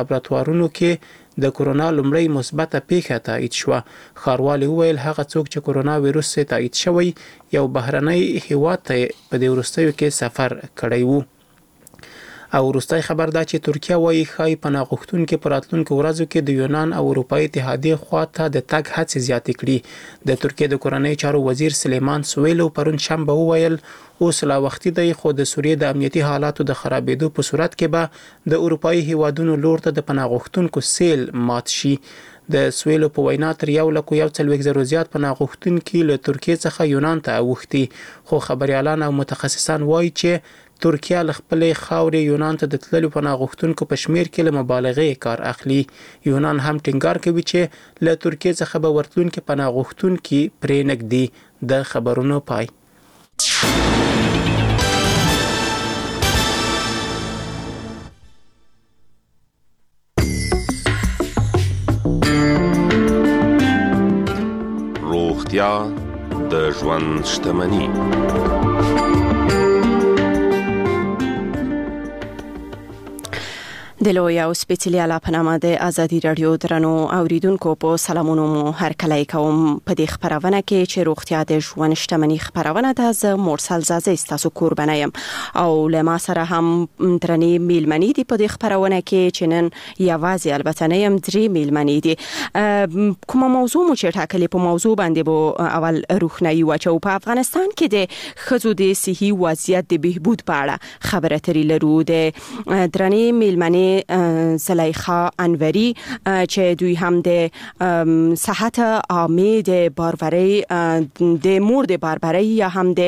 لابراتوارونو کې د کرونا لومړۍ مثبته پېښه تایید شوه. ښاروالې وویل، هغه څوک چې کرونا ویروس یې تایید شوی، یو بهرنی هېواد ته یې په دې وروستیو کې سفر کړی و. او وروستی خبر دا چې ترکیه وايي، ښايي پناه غوښتونکي په راتلونکو ورځو کې د یونان او اروپايي اتحادیې خوا ته د تګ هڅې زیاتې کړي. د ترکیې د کورنیو چارو وزیر سلیمان سویلو پرون شنبه وویل، اوس لا وختي دی، خو د سوریې د امنیتي حالاتو د خرابېدو په صورت کې به د اروپايي هېوادونو لور ته د پناه غوښتونکو سیل مات شي. د سویلو په وینا، تر یو لکو یو څلوېښت زرو زیات پناه غوښتونکي له ترکیې څخه یونان ته اوښتي، خو خبریالان او متخصصان وايي چې ترکیه له خپلې خاورې یونان ته د تللو پناه غوښتونکو په شمېر کې له مبالغې کار اخلي. یونان هم ټینګار کوي چې له ترکیې څخه به ورتلونکي پناه غوښتونکي پرې نه ږدي. د خبرونو پای. روغتیا د ژوند شتمني. د لوی او سپېڅلي الله په نامه د ازادي راډیو درنو اوریدونکو په سلامونو مو هرکلی کوم. په دې خپرونه کې چې روغتیا د ژوند شتمني خپرونه ده، زه مرسل ځاځی ستاسو کوربنه یم او له ما سره هم درنې میلمنې دي په دې خپرونه کې چې نن یوازې البته نه یم، درې میلمنې دي. کومه موضوع مو چې ټاکلې، په موضوع باندې به اول روښنايي واچوو. په افغانستان کې د ښځو د صحي وضعیت د بهبود په اړه خبره ترې لرو. د درنې میلمنې زلیخا انوری چې دوی هم د صحت عامې د بارورۍ، د مور د باربرۍ یا هم د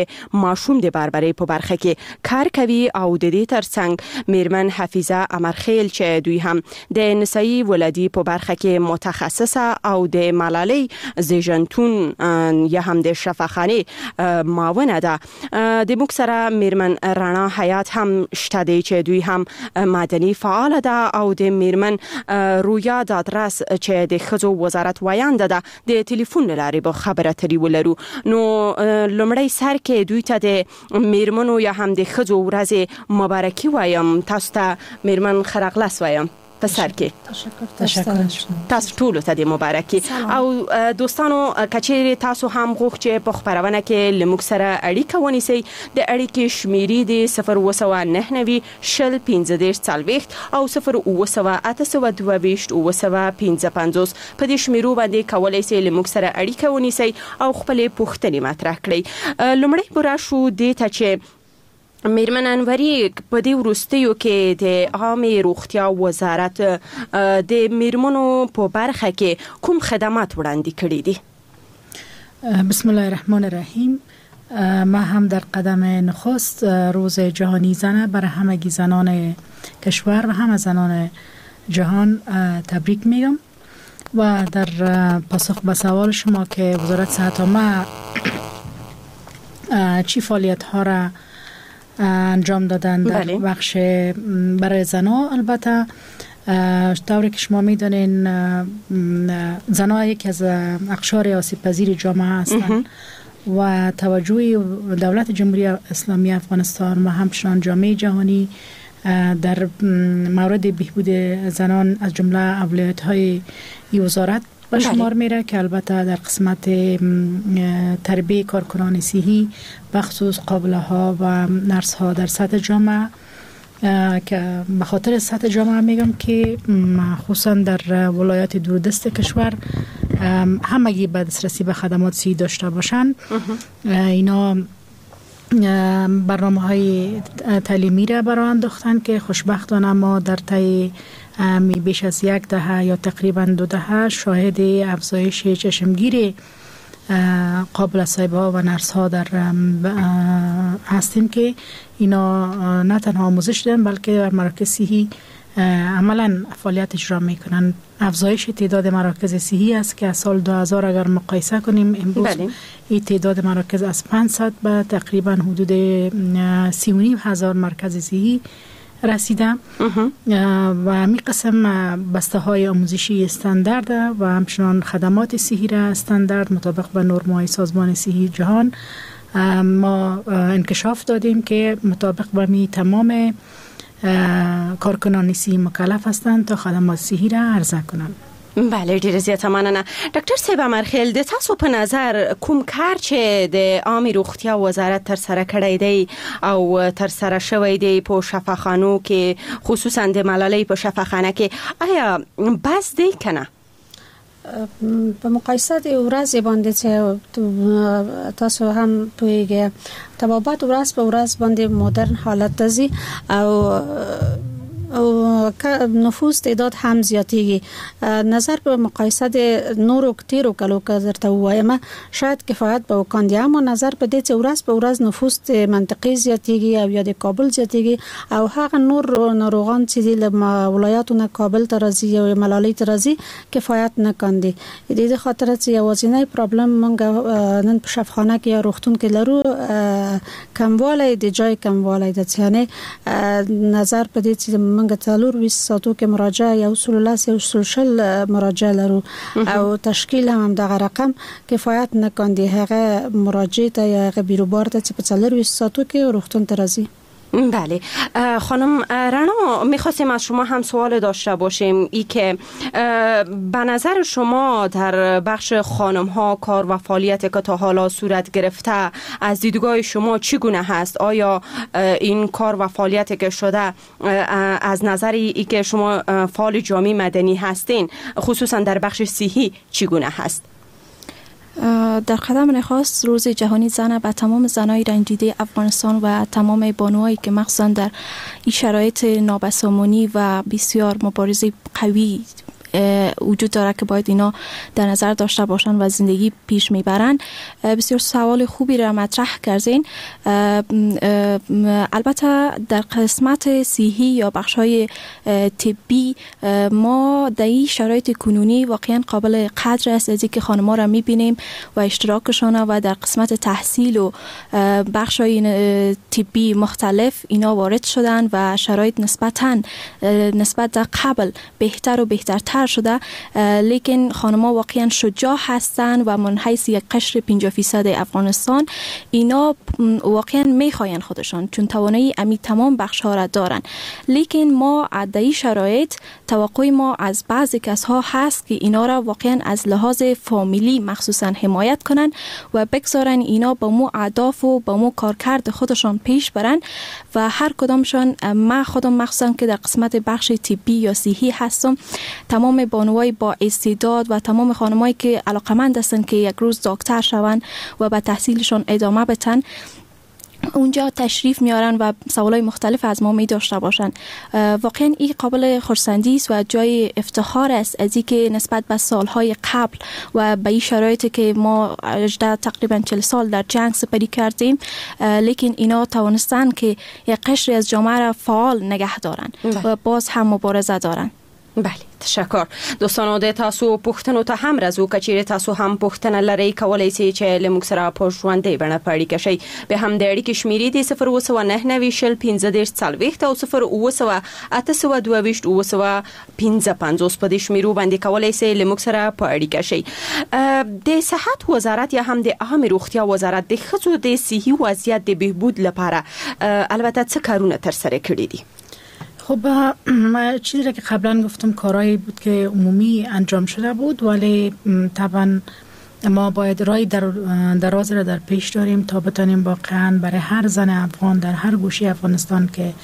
ماشوم د باربرۍ په برخه کې کار کوي، او د دې ترڅنګ میرمن حفیظه امرخیل چې دوی هم د نسایي ولادي په برخه کې متخصصه او د ملالۍ زیږنتون یا هم د شفاخانې معاونه ده. د موږ سره میرمن رڼا حیات هم شته دی چې دوی هم مدني فعال ده، او د میرمن رویا دادرس چې د ښځو وزارت ویانده ده د ټلیفون له لارې به خبره ترې ولرو. نو لومړی سر کې دوی ته د میرمنو یا هم د ښځو ورځې مبارکي وایم. تاسو ته میرمن ښه راغلاست وایم په سر کې. تشکر. تاسو ټولو ته د مبارکي. او دوستانو، کچېرې تاسو هم غوښت چې په خپرونه کې له موږ سره اړیکه ونیسئ، د اړیکې شمیرې دي 0799 20 35 40 او 0700 822 755. په دې شمیرو باندې کولی شئ له موږ سره اړیکه ونیسئ او خپلې پوښتنې مطرح کړئ. لومړی به راشو دې ته چې میرمن انوري، په دې وروستیو کې د عامې روغتیا وزارت د میرمنو په برخه کې کوم خدمات وړاندې کړي دي؟ بسم الله الرحمن الرحیم. ما هم در قدم نخست روز جهانی زن برای همگی زنان کشور و همه زنان جهان تبریک میگم و در پاسخ به سوال شما که وزارت صحت عامه چی فعالیت ها را انجام دادن در بخش برای زنها، البته طوری که شما میدانین زنها یکی از اقشار آسیب پذیر جامعه هستند و توجه دولت جمهوری اسلامی افغانستان و همچنان جامعه جهانی در مورد بهبود زنان از جمله اولویت های وزارت به شمار میره که البته در قسمت تربیه کارکنان صحی بخصوص قابله ها و نرس ها در سطح جامعه، که به خاطر سطح جامعه میگم که خصوصا در ولایات دوردست کشور همگی به دسترسی به خدمات صحی داشته باشن. اینا برنامه های تعلیمی را برای انداختن که خوشبختانه ما در طی بیش از یک دهه یا تقریبا 2 دهه شاهد افزایش چشمگیر قابل صاحب ها و نرس ها در هستیم که اینا نه تنها آموزش دادن بلکه در مراکز صحی عملا فعالیت اجرا میکنن. افزایش تعداد مراکز صحی است که از سال 2000 اگر مقایسه کنیم امروز این تعداد مراکز از 500 به تقریبا حدود 3,500 مرکز صحی رسیده و می قسم بسته های آموزشی استاندارد و همچنان خدمات صحی را استاندارد مطابق به نرم‌های سازمان صحی جهان ما انکشاف دادیم که مطابق به می تمام کارکنان صحی مکلف هستند تا خدمات صحی را عرضه کنند. بله، ډیره زیاته مننه. ډاکټر صاحب امرخیل، د تاسو په نظر کوم کار چې د عامې روغتیا وزارت تر سره کړی دی او تر سره شوی دی په شفاخانو کې، خصوصا د ملالۍ په شفاخانه کې، آیا بس دی که نه؟ په مقایسه د ورځې باندې چې تاسو هم پوهیږئ، طبابت ورځ په ورځ باندې مدرن حالت ته ځي او نفوس تعداد هم زیاتیږي. نظر په مقایسه د نورو تیرو کلو که درته ووایم شاید کفایت به وکاندي، اما نظر په دې چې ورځ په ورځ نفوس د منطقې زیاتیږي او یا د کابل زیاتیږي او هغه نور ناروغان چې دي له ولایاتو نه کابل ته راځي او ملالۍ ته راځي کفایت نه کاندي. د دې خاطر چې یوازینی پرابلم موږ نن په شفاخانه کې یا روغتون کې لرو کموالی د جای کموالی ده، یعنې نظر په دې چې موږ 24 ساعتو کې مراجعه 110 120 مراجعه لرو او تشکیل هم دغه رقم کفایت نه کاندي هغه مراجعه ته یا هغه بیروبار ته چې په 24 ساعتو کې روغتون ته راځي. بله، خانم رنا، میخواستیم از شما هم سوال داشته باشیم ای که به نظر شما در بخش خانم ها کار و فعالیت که تا حالا صورت گرفته از دیدگاه شما چگونه هست؟ آیا این کار و فعالیت که شده از نظر ای که شما فعال جامعه مدنی هستین خصوصا در بخش صحی چگونه هست؟ در قدم نخست روز جهانی زن به تمام زنای رنجیده افغانستان و تمام بانوهایی که مخصوصا در این شرایط نابسامانی و بسیار مبارزه قوی وجود داره که باید اینا در نظر داشته باشن و زندگی پیش میبرن، بسیار سوال خوبی را مطرح کردین. البته در قسمت صحی یا بخش های طبی ما در این شرایط کنونی واقعا قابل قدر است از اینکه خانم‌ها را میبینیم و اشتراکشان و در قسمت تحصیل و بخش های طبی مختلف اینا وارد شدن و شرایط نسبتاً نسبت در قبل بهتر و بهترتر شده، لیکن خانم‌ها واقعا شجاع هستند و من حیث یک قشر 50% افغانستان اینا واقعا میخواین خودشان چون توانایی امی تمام بخش ها را دارن. لیکن ما عده‌ای شرایط توقع ما از بعضی کس ها هست که اینا را واقعا از لحاظ فامیلی مخصوصا حمایت کنن و بگذارن اینا با مو اهداف و با مو کارکرد خودشان پیش برن و هر کدامشان، من خودم مخصوصا که در قسمت بخش طبی یا صحی هستم، تمام بانوای با استعداد و تمام خانمایی که علاقمند هستند که یک روز دکتر شوند و به تحصیلشان ادامه بدن اونجا تشریف میارن و سوالای مختلف از ما می داشته باشن. واقعا این قابل خرسندی است و جای افتخار است از اینکه نسبت به سالهای قبل و به این شرایطی که ما تقریبا 40 سال در جنگ سپری کردیم، لیکن اینا توانستن که یک قشری از جامعه را فعال نگه دارن و باز هم مبارزه دارن. بله، تشکر. دوستانو د تاسو پوښتنو ته هم راځو. که چیرې تاسو هم پوښتنه لرئ کولی شئ چې له موږ سره په ژوندۍ بڼه په اړیکه شئ. بیا هم د اړیکې شمېرې دي 0799 15 40 او 07 822 755. په دې شمېرو باندې کولی شئ له موږ سره په اړیکه شئ. د صحت وزارت یا هم د عامې روغتیا وزارت د ښځو د صحي وضعیت د بهبود لپاره البته څه کارونه ترسره کړي دي؟ خب چیزی را که قبلا گفتم کارهایی بود که عمومی انجام شده بود، ولی طبعا ما باید رای دراز را در پیش داریم تا بتانیم واقعا برای هر زن افغان در هر گوشه افغانستان که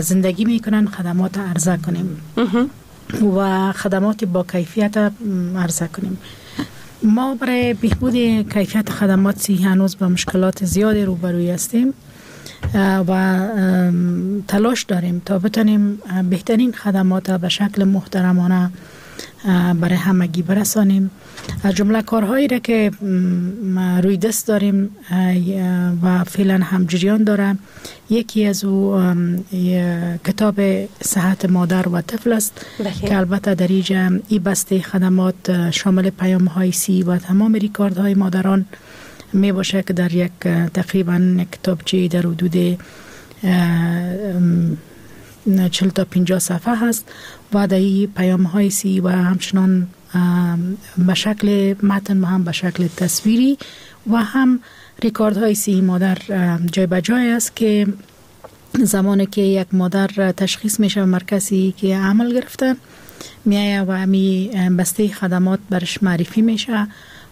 زندگی میکنن خدمات عرضه کنیم و خدمات با کیفیت عرضه کنیم. ما برای بهبود کیفیت خدمات صحی هنوز با مشکلات زیادی روبروی هستیم و تلاش داریم تا بتانیم بهترین خدمات به شکل محترمانه برای همگی برسانیم. از جمله کارهایی را که روی دست داریم و فعلا هم جریان داره، یکی از او کتاب صحت مادر و طفل است که البته در اینجا ای بسته خدمات شامل پیام های سی و تمام ریکاردهای مادران می باشه که در یک تقریبا کتابچه در حدود 40 تا 50 صفحه هست و در این پیام های سی و همچنان به شکل متن و هم به شکل تصویری و هم ریکاردهای سی مادر جای به جای است که زمانی که یک مادر تشخیص میشه و مرکزی که عمل گرفته میایه و همی بسته خدمات برش معرفی میشه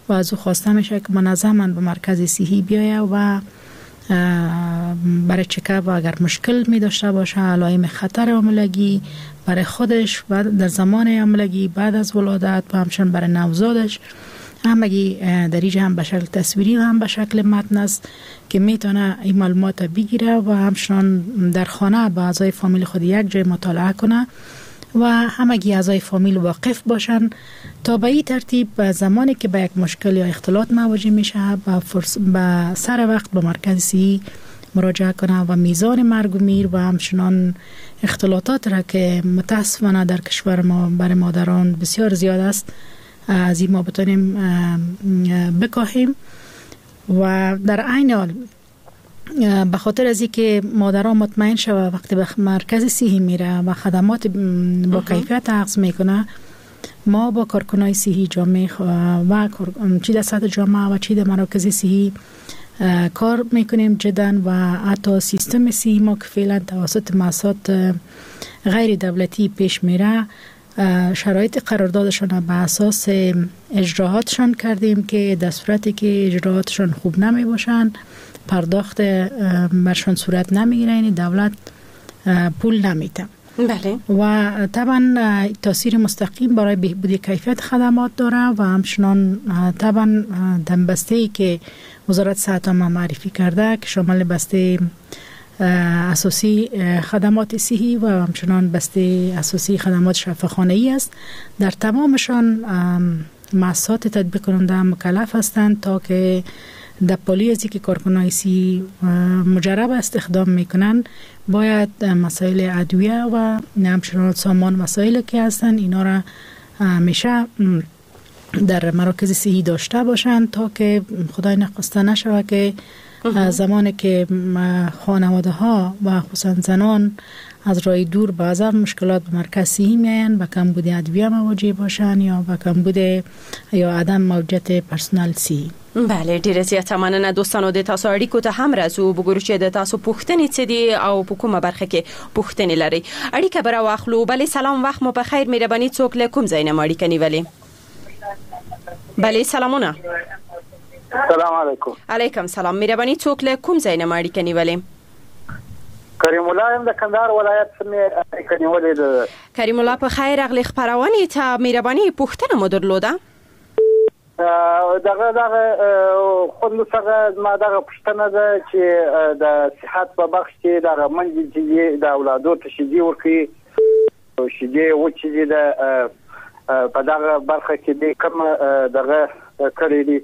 و از او خواسته میشه که منظما به مرکز صحی بیایه و برای چکاپ و اگر مشکل می داشته باشه، علائم خطر حاملگی برای خودش و در زمان حاملگی، بعد از ولادت و همچنین برای نوزادش، همگی در اینجا هم به شکل تصویری و هم به شکل متن است که میتونه این معلومات بگیره و همچنان در خانه با اعضای فامیل خود یک جای مطالعه کنه و همگی اعضای فامیل واقف باشن تا به این ترتیب زمانی که به یک مشکل یا اختلاط مواجه میشه به سر وقت به مرکز صحی مراجعه کنه و میزان مرگ و میر و همچنان اختلاطات را که متاسفانه در کشور ما برای مادران بسیار زیاد است از این ما بتونیم بکاهیم. و در عین حال به خاطر از اینکه مادران مطمئن شوه وقتی به مرکز صحی میره و خدمات با کیفیت اخذ میکنه، ما با کارکنای صحی جامعه و چی در سطح جامعه و چی در مراکز صحی کار میکنیم جدا و حتی سیستم صحی ما که فعلا توسط مؤسسات غیر دولتی پیش میره، شرایط قراردادشان به اساس اجراهاتشان کردیم که در صورتی که اجراهاتشان خوب نمی باشند پرداخت برشان صورت نمیگیره، یعنی دولت پول نمیده. بله. و طبعا تاثیر مستقیم برای بهبود کیفیت خدمات داره و همچنان طبعا در بسته که وزارت صحت ما معرفی کرده که شامل بسته اساسی خدمات صحی و همچنان بسته اساسی خدمات شفاخانه‌ای است، در تمامشان مؤسسات تطبیق کننده مکلف هستند تا که در پالی از که کارکنای صحی مجرب استخدام میکنن باید مسائل ادویه و همچنان سامان مسائل که هستن اینا را همیشه در مراکز صحی داشته باشند تا که خدای نخواسته نشود که زمانی که خانواده ها و خصوصا زنان از راه دور بعضا مشکلات به مرکز صحی میاین، به کمبود ادویه مواجه باشن یا به کمبود یا عدم موجودیت پرسنل صحی. بله، ډیره زیاته مننه دوستانو. د تاسو اړیکو ته هم راځو، وګورو چې د تاسو پوښتنې څه دي او په کومه برخه کې پوښتنې لرئ. اړیکه به راواخلو. بله سلام، وخت مو په خیر. مهرباني څوک له کوم ځای نه مو اړیکه نیولې؟ بله سلامونه. سلام علیکم. علیکم سلام. مهرباني څوک له کوم ځای نه مو اړیکه نیولې؟ کریم الله یم د کندهار ولایت څخه مې اړیکه نیولې ده. کریم الله په خیر راغلې خپرونې ته. مهرباني پوښتنه مو درلوده؟ دغه دغه خوندو څخه زما دغه پوښتنه ده چې د صحت په بخش کې دغه منځ چې د اولادو ته شیدې ورکوي، شیدې وچې دي، په دغه برخه کې دې کوم دغه کړی دي،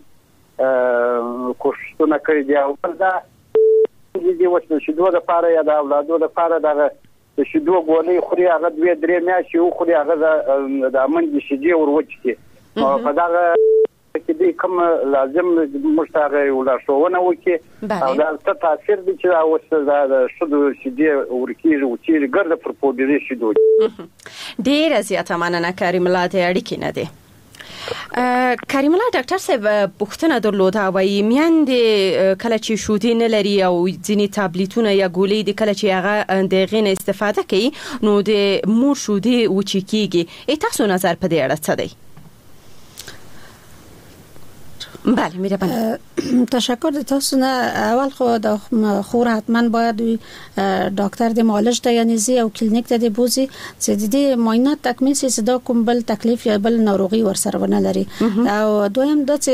کوښښونه کړي دي؟ او بل دا دې اوس د شیدو لپاره یا د اولادو لپاره دغه د شیدو ګولۍ خوري، هغه دوې درې میاشتې وخوري، هغه د منځ شیدې ور وچې کړي، په دغه کې دې کوم لازم موږ ته هغه یو لارښوونه وکړي او دا څه تاثیر دی چې اوس د شیدو شیدې ورکېږي وچېږي ګرده پر پوډري شیدو. ډېره زیاته مننه کریم الله د اړیکې نه دی. کریم الله ډاکټر صاحب پوښتنه درلوده، وایي میندې کله چې شیدې نه لري او ځینې تابلیتونه یا ګولۍ دي کله چې هغه د هغې نه استفاده کوي نو د مور شیدې وچې کېږي، تاسو نظر په دې اړه څه دی؟ بله میرباني. تشکر د تاسو نه. اول خو د خور حتما باید ډاکټر د معالج ته یعنی زی او کلینیک ته دی بوزي چې د دې معاینات تکمیل شي چې دا کوم بل تکلیف یا بل ناروغي ورسره ونه لري. او دویم دا چې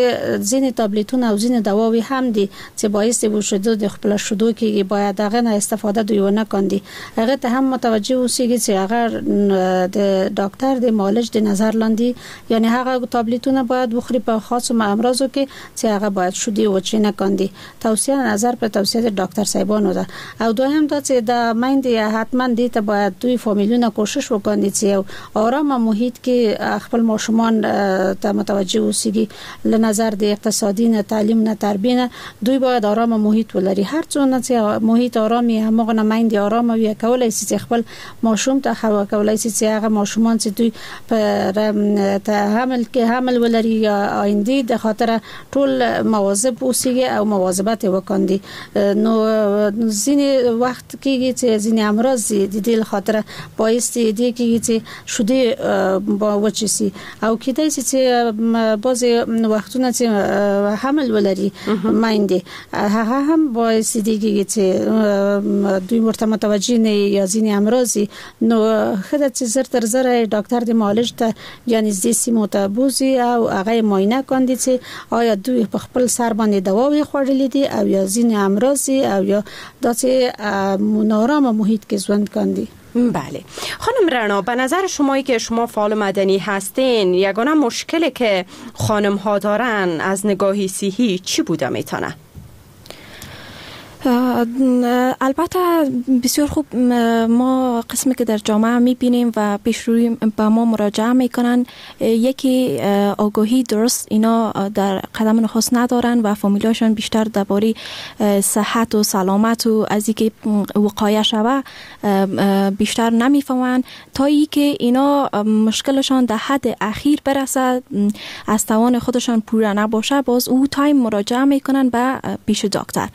ځینې تابلیتونه او ځینې دواوې هم دي چې باعث د شیدو د خپل شیدو کېږي، باید هغه نه استفاده دوی ونه کاندي. هغه ته هم متوجه اوسیږي چې هغه د ډاکټر د معالج د نظر لاندې، یعنی هغه تابلیتونه باید وخوري په خاصو امراضو کې چې هغه باید شیدې وچې نه کاندي. توصیه نظر په توصیه د ډاکټر صاحبانو ده. او دویم دا چې د میندې حتما دې ته باید دوی فامیلونه کوشش وکړي چې یو آرامه محیط کې خپل ماشومان ته متوجه اوسیږي، له نظر د اقتصادي نه، تعلیم نه، تربیه نه، دوی باید آرامه محیط ولري. هر څونه چې محیط آرام وي هماغه نه میندې آرامه وي، کولای شي چې خپل ماشوم ته کولای شي چې هغه ماشومان چې دوی په حمل کې حمل ولري یا آیندې د خاطر ټول مواظب اوسېږي او مواظبت یې وکاندي. نو ځینې وخت کېږي چې ځینې امراض د دې له خاطره باعث دې کېږي چې شودې وچې شي، او کېدای شي چې بعضې وختونه چې حمل ولري میندې، هغه هم باعث دې کېږي چې دوی ورته متوجه نه یا ځینې امراض. نو ښه ده چې زر تر زره ډاکټر د معالج ته یا نږدې سیمو ته بوځي او هغه یې معاینه کاندي چې آیا دوی په خپل سر باندې دواوې خوړلې دي او یا ځینې امراض او یا داسې نارامه محیط کې ژوند کاندي. بله خانم رعنا، به نظر شمایی که شما فعال مدنی هستین، یگانه مشکلی که خانم ها دارن از نگاهی صحی چی بوده میتونه؟ البته بسیار خوب، ما قسمی که در جامعه میبینیم و پیش روی به ما مراجعه میکنن، یکی آگاهی درست اینا در قدم نخست ندارن و فامیلاشان بیشتر درباره صحت و سلامت و از اینکه وقایه شوه بیشتر نمیفهمن، تا اینکه اینا مشکلشان در حد اخیر برسه، از توان خودشان پوره نباشه، باز او تایم مراجعه میکنن به پیش دکتر.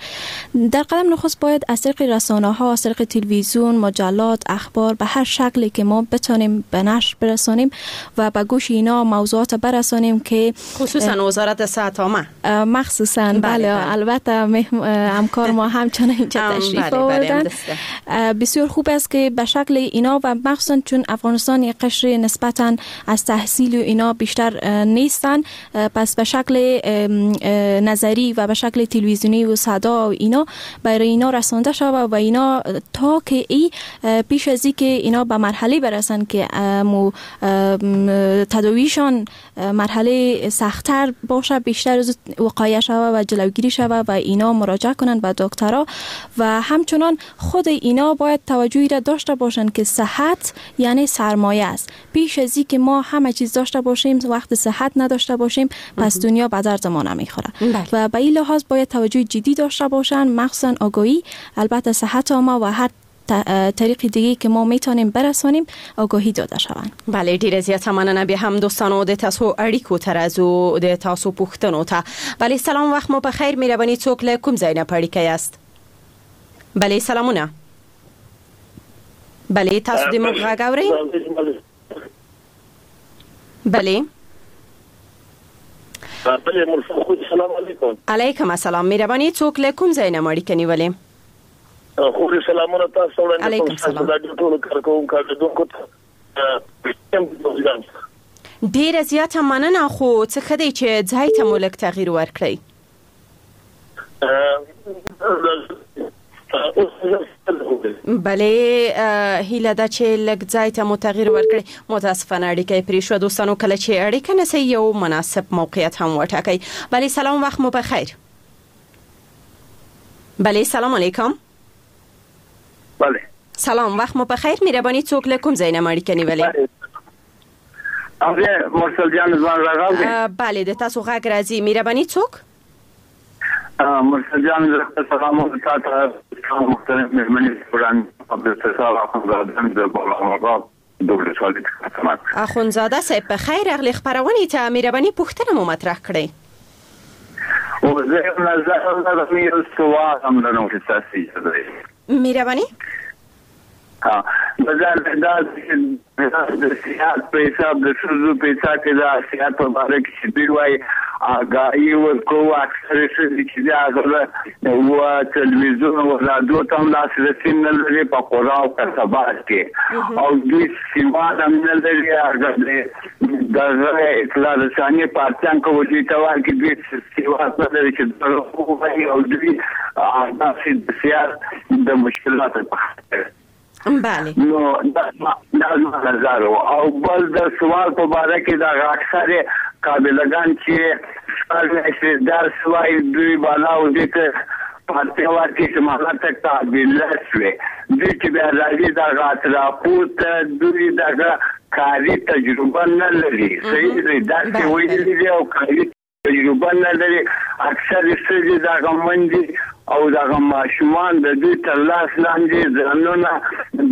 در قدم نخست باید از طریق رسانه ها، از طریق تلویزیون، مجلات، اخبار، به هر شکلی که ما بتانیم به نشر برسانیم و به گوش اینا موضوعات برسانیم که خصوصا وزارت صحت عامه مخصوصا. بله البته همکار ما همچنان اینجا تشریف آوردن. بسیار خوب است که به شکل اینا و مخصوصا چون افغانستان یک قشر نسبتا از تحصیل و اینا بیشتر نیستن، پس به شکل نظری و به شکل تلویزیونی و صدا و اینا برای اینا رسانده شود و اینا تا که ای پیش از که اینا به مرحله برسن که تداویشان مرحله سخت‌تر باشه، بیشتر از وقایه شود و جلوگیری شود و اینا مراجعه کنند به دکترها. و همچنان خود اینا باید توجهی را داشته باشند که صحت یعنی سرمایه است. پیش از که ما همه چیز داشته باشیم وقت صحت نداشته باشیم، پس دنیا به درد ما نمیخوره. و به این لحاظ باید توجه جدی داشته باشند، مخصوصا آگاهی، البته صحت عامه و هر طریق دیگه که ما میتونیم برسانیم آگاهی داده شوند. بله ډیره زیاته مننه بیا هم دوستانو د تاسو اړیکو ته راځو، د تاسو پوښتنو ته. بله سلام، وخت مو په خیر. مهرباني څوک له کوم ځای نه په اړیکه یاست؟ بله سلامونه. بله تاسو د موږ غږ اورئ؟ بله بله مرسل خو سلام علیکم. علیکم السلام. مهرباني څوک له کوم ځای نه مو اړیکه نیولې؟ خو سلامونه تاسو وړاندې علیکم سلام. ټولو کارکوونکو کاردونکو ته ډیره زیاته مننه. خو څه ښه دی چې ځای ته مو لږ تغییر ورکړئ. بله هیله ده چې لږ ځای ته مو تغییر ورکړئ. متاسفانه اړیکه یې پرې شوه. دوستانو کله چې اړیکه نسئ یو مناسب موقعیت هم وټاکئ. بله سلام، وخت مو په خیر. بله سلام علیکم. بله سلام، وخت مو په خیر. مهرباني څوک له کوم ځای نه مو اړیکه نیولې؟ مرسل جان زما غږ اورئ؟ بله د تاسو غږ راځي. مهرباني څوک؟ مرسل جان زه سلام تاته محترم مهمنې وړاندې عبدالستار اخوندزاده د بالا دولسوالۍ څخه. اخوندزاده صاحب په خیر راغلې خپرونې ته. مهرباني پوښتنه مو مطرح کړئ. زه یو نظر لرم، یو سوال هم لرم چې تاسو اجازه مهرباني. نظر دا د صحت په حساب د ښځو په حساب کې د صحت په باره کې چې دوی وایي آګاهي ورکوو، اکثره ښځې چې دي هغه و تلویزیون و رادیو ته هم لاسرسی نه لري په قرا او کسبات کې، او دوی سواد هم نه لري. هغه دغه اطلاع رساني پارتیان که دوی ته وایي چې دوی سواد نه لري چې دروغ ووایي، او دوی داسې د صحت د مشکلاتو په خاطر. بله نو دا زما نظر و. او بل د سوال په باره کې دغه اکثرې قابلهګان چې شپږ میاشتې درس وایي دوی بالا او دوی ته پارتۍ ورکړي چې مالا ته قابله شوې، دوی چې بیا راځي دغه اطرافو ته دوی دغه کاري تجربه نه لري. صحیح دی، داسې ویلي دي او کاري تجربه نه لري. اکثر ښځې دغه مندې او دغه ماشومان د دوی تر لاس لاندې ځانونه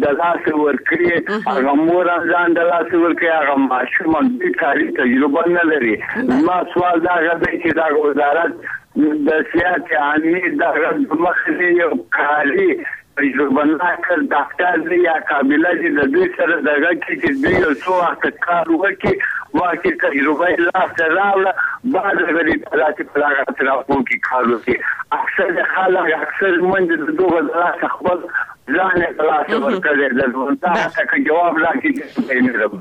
د لاسه ورکړي، هغه مور هم ځان د لاسه ورکړي، هغه ماشوم هم. دوی کاري تجربه نه لري. زما سوال دغه دی چې دغه وزارت د صحت عامې دغه د مخې یو کاري تجربه ناک ډاکټر دی یا قابله دی د دوی سره دغه کې چې دوی یو څو وخته کار وکړي، وخت تجربه یې لاسته راوړه، بعد هغه دې داسې په دغه اطرافو کې کار وکړي. اکثر خلک اکثر منډې د دغه د لاسه خپل ځان یې د لاسه ورکړی دی. دا که جواب راکړي.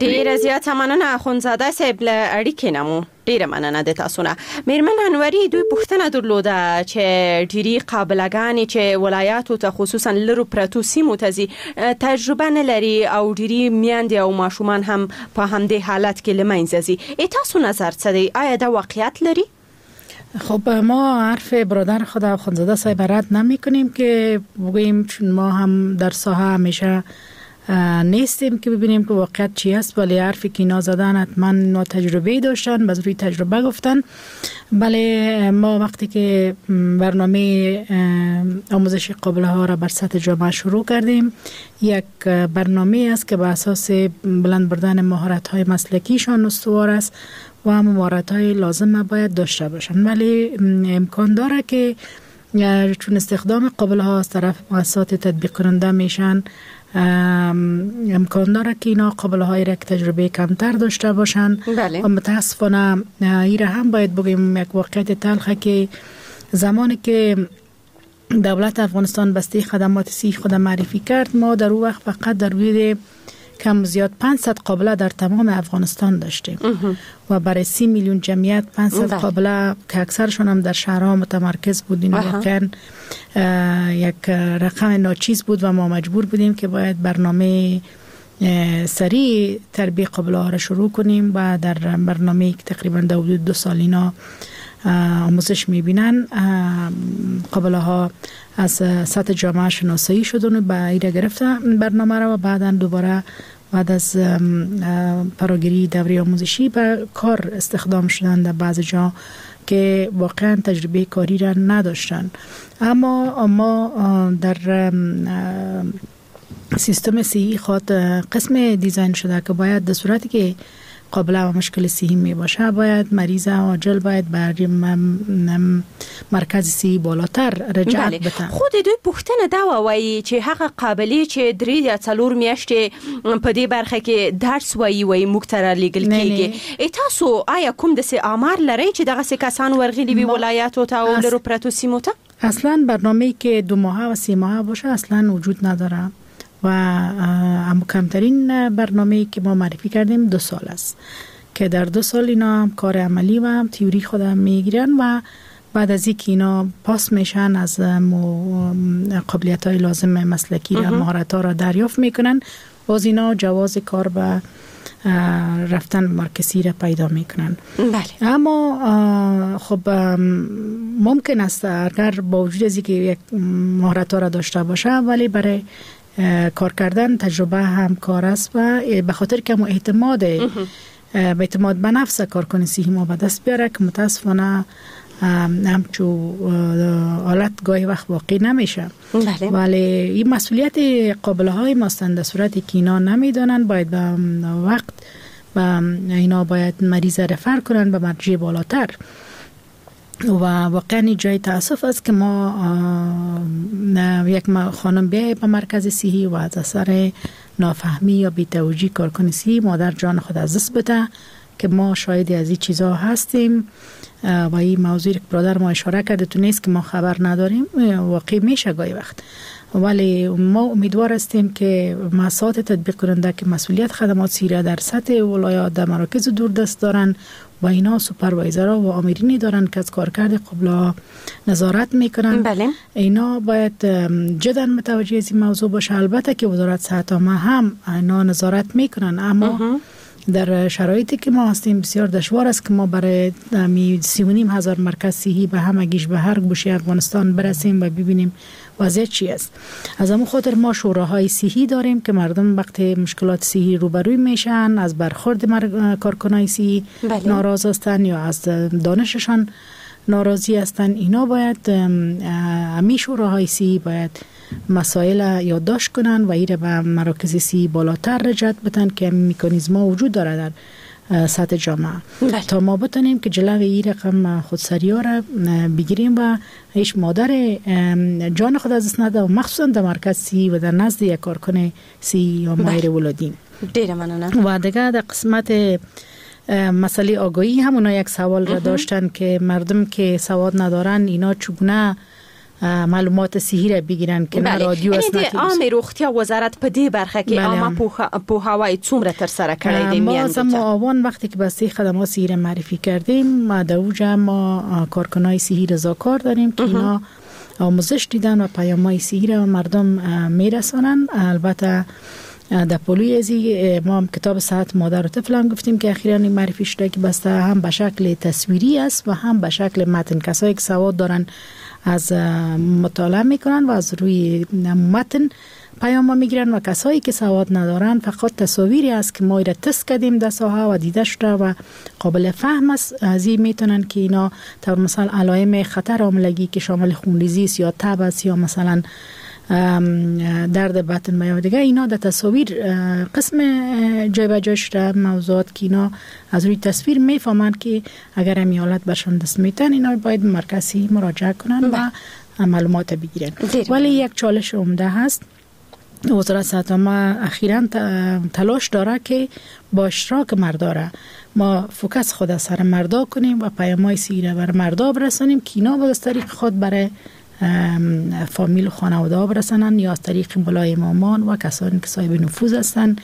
ډېره زیاته مننه اخوندزاده صاحب له اړیکې نه مو ډیره مننه د تاسو نه. میرمن انوري، دوی پوښتنه درلوده چې ډیری قابلګانې چې ولایاتو ته خصوصا لرو پرتو سیمو ته ځي تجربه نه لري او ډیری میندې او ماشومان هم په همدې حالت کې له منځه ځي. تاسو نظر څه دی؟ آیا دا واقعیت لري؟ خب ما حرف برادر خود اخوندزاده صاحب رد نمی کنیم که بگوییم، چون ما هم در ساحه همیشه نیستیم که ببینیم که واقعیت چی است، ولی حرفی که اینا زدن حتما اینا تجربه داشتن، باز روی تجربه گفتن. بله، ما وقتی که برنامه آموزش قابله ها را بر سطح جامعه شروع کردیم، یک برنامه است که به اساس بلند بردن مهارت های مسلکیشان استوار است و هم مهارت های لازم باید داشته باشن. ولی امکان داره که چون استخدام قابله ها از طرف مؤسسات تطبیق کننده میشن، امکان داره که اینا قابله هایی را که تجربه کمتر داشته باشن. بله. و متاسفانه ایره هم باید بگیم یک واقعیت تلخه که زمانی که دولت افغانستان بسته خدمات صحی خود معرفی کرد، ما در او وقت فقط در حدود کم زیاد 500 قابله در تمام افغانستان داشتیم و برای 30 میلیون جمعیت 500 قابله که اکثرشون هم در شهرها متمرکز بود، این واقعا یک رقم ناچیز بود و ما مجبور بودیم که باید برنامه سریع تربیه قابله ها را شروع کنیم و در برنامه که تقریبا در حدود 2 سال اینا آموزش میبینن، قابله ها از سطح جامعه شناسایی شدن و به ایره گرفتن برنامه را و بعدا دوباره بعد از فراگیری دوره آموزشی به کار استخدام شدن در بعض جا که واقعا تجربه کاری را نداشتن. اما ما در سیستم صحی خود قسم دیزاین شده که باید در صورتی که قابله و مشکل صحی می باشه، باید مریض عاجل باید بر مرکز صحی بالاتر رجعت بته. خو د دوی پوښتنه دا وه، وایي چې هغه قابلې چې 3 یا 4 میاشتې په دې برخه کې درس وایي، وایي موږ ته رالیږل کېږي. تاسو آیا کوم داسې آمار لرئ چې دغسې کسان ورغلي وي ولایاتو ته او لرو پرتو سیمو ته؟ اصلا برنامه‌ای که 2 ماهه و 3 ماهه باشه اصلا وجود نداره و اما کمترین برنامه‌ای که ما معرفی کردیم 2 سال است که در 2 سال اینا هم کار عملی و هم تئوری خود میگیرن و بعد از اینکه اینا پاس میشن از قابلیت های لازم مسلکی را مهارت ها را دریافت میکنن، باز اینا جواز کار به رفتن مرکزی را پیدا میکنن. بله. اما خب ممکن است اگر با وجود از اینکه یک مهارت ها را داشته باشه، ولی برای کار کردن تجربه هم کار است و به خاطر که ما اعتماد به اعتماد به نفس کارکن صحی ما به دست بیاره که متاسفانه همچو حالت گاهی وقت واقع نمیشه. بله. ولی این مسئولیت قابله های ماستند در صورتی که اینا نمیدانن باید به وقت و اینا باید مریض رفر کنن به مرجع بالاتر و واقعا جای تاسف است که ما یک خانم بیای به مرکز صحی و از اثر نافهمی یا بی‌توجهی کارکن صحی مادر جان خود از دست بده که ما شاهد از این چیزها هستیم و این موضوع که برادر ما اشاره کرده تو نیست که ما خبر نداریم، واقع میشه گاهی وقت. ولی ما امیدوار هستیم که مؤسسات تطبیق کننده که مسئولیت خدمات صحی را در سطح ولایات در مراکز دوردست دارن و اینا سوپروایزرها و آمرینی دارن که از کارکرد قبلا نظارت میکنن. بله. اینا باید جدا متوجه از این موضوع باشه. البته که وزارت صحت عامه هم اینا نظارت میکنن، اما در شرایطی که ما هستیم بسیار دشوار است که ما برای 3.5 هزار مرکز صحی به همگیش به هر گوشه افغانستان برسیم و ببینیم وضعیت چی است. از همون خاطر ما شوراهای صحی داریم که مردم وقتی مشکلات صحی روبروی میشن، از برخورد کارکنای صحی ناراض هستن یا از دانششان ناراضی هستن، اینا باید امی شوراهای صحی باید مسائل یادداشت کنن و ایره به مراکز صحی بالاتر رجعت بدن که مکانیزم ها وجود داره در سطح جامعه تا ما بتونیم که جلوی این رقم خودسری ها را بگیریم و هیچ مادر جان خود از دست نده و مخصوصا در مرکز صحی و در نزد یک کارکن صحی یا ماهر ولادی. ډیره مننه. و دیگه در قسمت مسئله آگاهی هم اونا یک سوال را داشتن که مردم که سواد ندارن اینا چگونه معلومات صحی را بگیرن که نه رادیو است نه د عامې روغتیا وزارت په دې برخه کې عامه پوهاوی څومره ترسره کړی دی؟ ما از آوان وقتی که بسته خدمات صحی را معرفی کردیم، ما در اوجه ما کارکنای صحی رضاکار داریم که اینا آموزش دیدن و پیام‌های صحی را مردم میرسانن. البته در پلوی ازی ما هم کتاب صحت مادر و طفل هم گفتیم که اخیراً معرفی شده که بسته هم به شکل تصویری است و هم به شکل متن. کسایی که سواد دارن از مطالعه میکنن و از روی متن پیام ها میگیرن و کسایی که سواد ندارن فقط تصاویری است که ما را تست کردیم در ساحه و دیده شده و قابل فهم است، از این میتونن که اینا تا مثلا علائم خطر حاملگی که شامل خونریزی است یا تب است یا مثلا درد بطن و یا دیگه، اینا در تصاویر قسم جای به جای شده موضوعات که اینا از روی تصویر میفهمند که اگر همی حالت برشان دست میتن اینا باید مرکزی مراجعه کنن و معلومات بگیرن. ولی یک چالش عمده هست، وزارت صحت عامه اخیراً تلاش داره که با اشتراک مردا را ما focus خود از سر مردا کنیم و پیام‌های صحی را بر مردا برسانیم که اینا باز از طریق خود برای فامیل و خانواده ها برسانن یا از طریق ملای امامان و کسانی که صاحب نفوذ هستند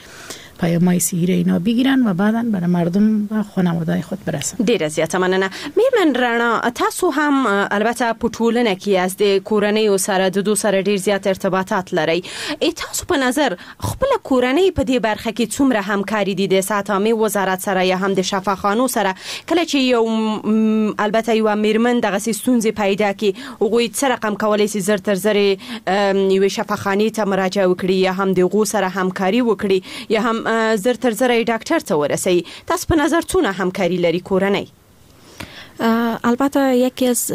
پیام‌های صحی را اینا بگیرن و بعداً برای مردم و خانواده خود برسن. ډیره زیاته مننه. میرمن رڼا، تاسو هم البته په ټولنه کې یاست، د کورنیو سره د دوی سره ډیر زیات ارتباطات لرئ، تاسو په نظر خپل کورنۍ په دې برخه کې څومره همکاري دي د صحت عامې وزارت سره یا هم د شفاخانو سره؟ کله چې یو البته یوه میرمن دغسې ستونزې پیدا کړي، هغوی څه رقم کولی شي زر تر زرې یوې شفاخانې ته مراجعه وکړي یا هم د هغو سره همکاري وکړي یا هم زر تر زره ډاکټر ته ورسوي؟ تاسو په نظر څونه همکاري لري کورنۍ؟ البته یکی از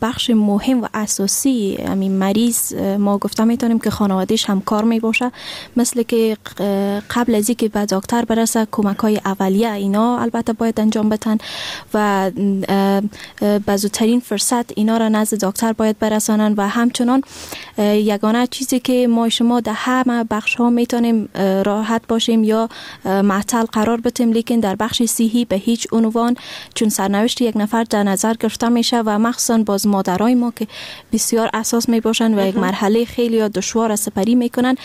بخش مهم و اساسی همین مریض ما گفته میتونیم که خانوادهش همکار میباشه، مثل که قبل از اینکه به دکتر برسه کمک های اولیه اینا البته باید انجام بدن و به زودترین فرصت اینا را نزد دکتر باید برسانن. و همچنان یگانه چیزی که ما شما در همه بخش ها میتونیم راحت باشیم یا معطل قرار بدیم، لیکن در بخش صحی به هیچ عنوان، چون سرنوشت یک نفر در نظر گرفته میشه و مخصوصا باز مادرای ما که بسیار اساس می باشن و یک مرحله خیلی دشوار سپری میکنن،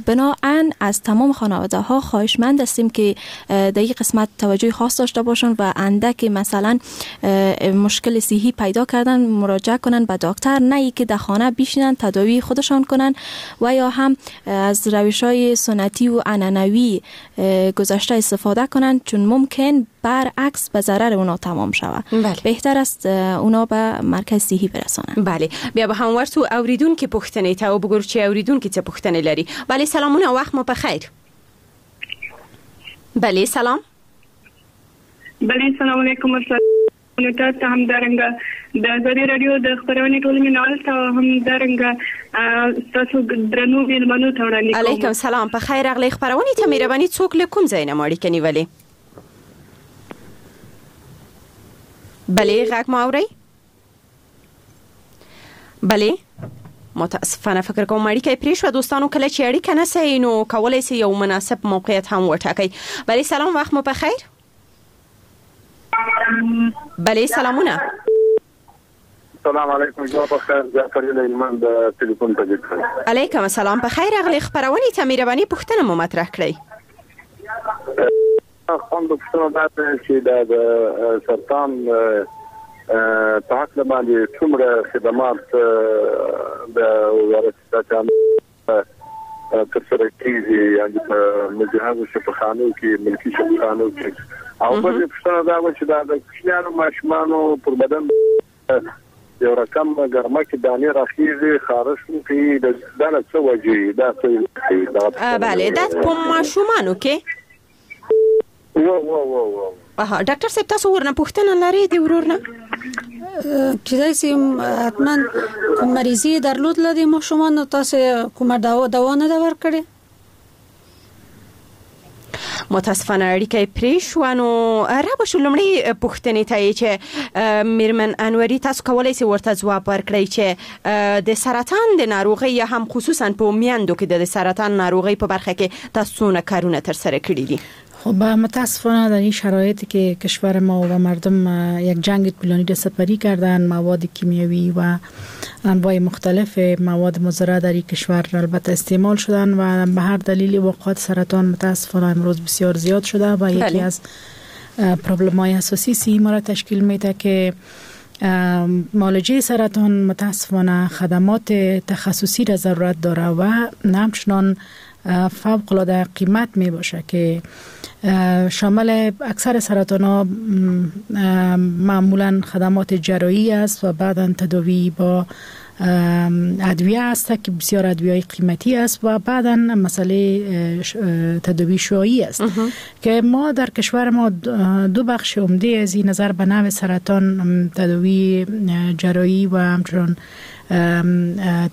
بناهن از تمام خانواده ها خواهشمند هستیم که در این قسمت توجه خاص داشته باشن و اندک مثلا مشکل صحی پیدا کردن مراجعه کنن به دکتر، نه ای که در خانه بشینن تداوی خودشان کنن و یا هم از روش های سنتی و عنعنوی گذشته استفاده کنن، چون ممکن برعکس به ضرر اونا تمام شود. بله. بهتر است اونا به مرکز صحي برسانن. بله، بیا به هم ورسو اوریدونکو پوښتنې ته وګورو چې اوریدونکي څه پوښتنې لري. بله، سلامونه، وخت مو په خیر. بله، سلام. بله، سلام علیکم. تاسو ته همدارنګه د ازادي راډیو د خپرونې ټولو مینهوالو ته همدارنګه ستاسو درنو مېلمنو ته وړاندې کوم. علیکم سلام، په خیر راغلئ خپرونې ته. مهرباني څوک له کوم ځای نه مو اړیکه نیولې؟ بله، غږ مو اورئ؟ بله، متاسفانه فکر کوم اړیکه یې پرې شوه. دوستانو، کله چې اړیکه نه سئ نو کولی سئ یو مناسب موقعیت هم وټاکئ. بله، سلام، وخت مو په خیر. بله، سلامونه. سلام علیکم، جواب په خیر. جعفر هلمند د ټلیفون په ذکر. علیکم السلام، په خیر راغلئ خپرونې ته. مهرباني پوښتنه مو مطرح کړئ. خپل پوښتنه دا ده چې د سرطان په هکله باندې څومره خدمات د وزارت صحت ترسره کېږي، یعنې په مجهزو شفاخانو کې، ملکي شفاخانو کې. او بله پوښتنه دا وه چې دا د کوچنیانو ماشومانو پر بدن یو رقم ګرمه کې دانې راخیږي، خارښ کوي، دا له څه وجې دا څه؟ بله، دا په ماشومانو کې. و و و و اها، ډاکټر صاحب تاسو ورنه پوښتنه لرئ د ورور نه؟ کیدای شي حتما کوم مریضي درلود له دې ماشومانو، تاسو کومه دوا نه ده ورکړې؟ متاسفانه اړیکه یې پرې شوه. نو را به شو لومړۍ پوښتنې ته یې چې میرمن انوري تاسو کولی شئ ورته ځواب ورکړئ چې د سرطان د ناروغۍ یا هم خصوصا په میندو کې د سرطان ناروغۍ په برخه کې تاسو څونه کارونه ترسره کړي دي؟ خب متاسفانه در این شرایطی که کشور ما و مردم یک جنگ طولانی را سپری کردن، مواد کیمیاوی و انواع مختلف مواد مضره در این کشور البته استعمال شدن و به هر دلیل وقوع سرطان متاسفانه امروز بسیار زیاد شده و یکی از پرابلم های اساسی سی ما را تشکیل میده که معالجه سرطان متاسفانه خدمات تخصصی را ضرورت داره و همچنان فوق العاده قیمت می باشه که شامل اکثر سرطان ها معمولا خدمات جراحی است و بعدا تداوی با ادویه است که بسیار ادویه قیمتی است و بعدا مسئله تداوی شعاعی است که ما در کشور ما دو بخش عمده از این نظر به نوع سرطان تداوی جراحی و همچنان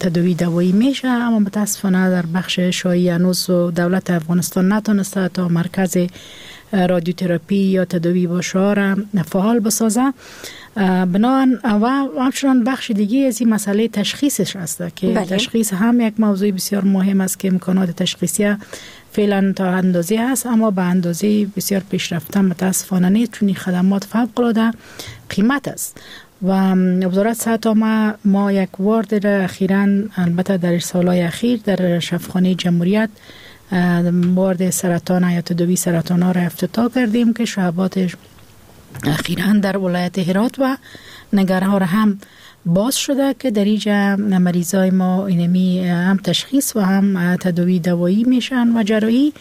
تداوی دوایی میشه، اما متاسفانه در بخش شعاعی هنوز دولت افغانستان نتونسته تا مرکز رادیوتراپی یا تداوی با شعاع را فعال بسازه. بنابراین و همچنان بخش دیگه از این مسئله تشخیصش است که بله. تشخیص هم یک موضوع بسیار مهم است که امکانات تشخیصی فعلا تا اندازه هست، اما به اندازه بسیار پیشرفته متاسفانه نیست، چون خدمات فوق العاده قیمت است. و وزارت صحت ما یک وارد را اخیراً البته در سالهای اخیر در شفاخانه جمهوریت وارد سرطان یا تداوی سرطان ها را افتتاح کردیم که شعباتش اخیراً در ولایت هرات و ننگرهار هم باز شده که در اینجا مریضای ما اینمی هم تشخیص و هم تداوی دوایی میشن و جراحی،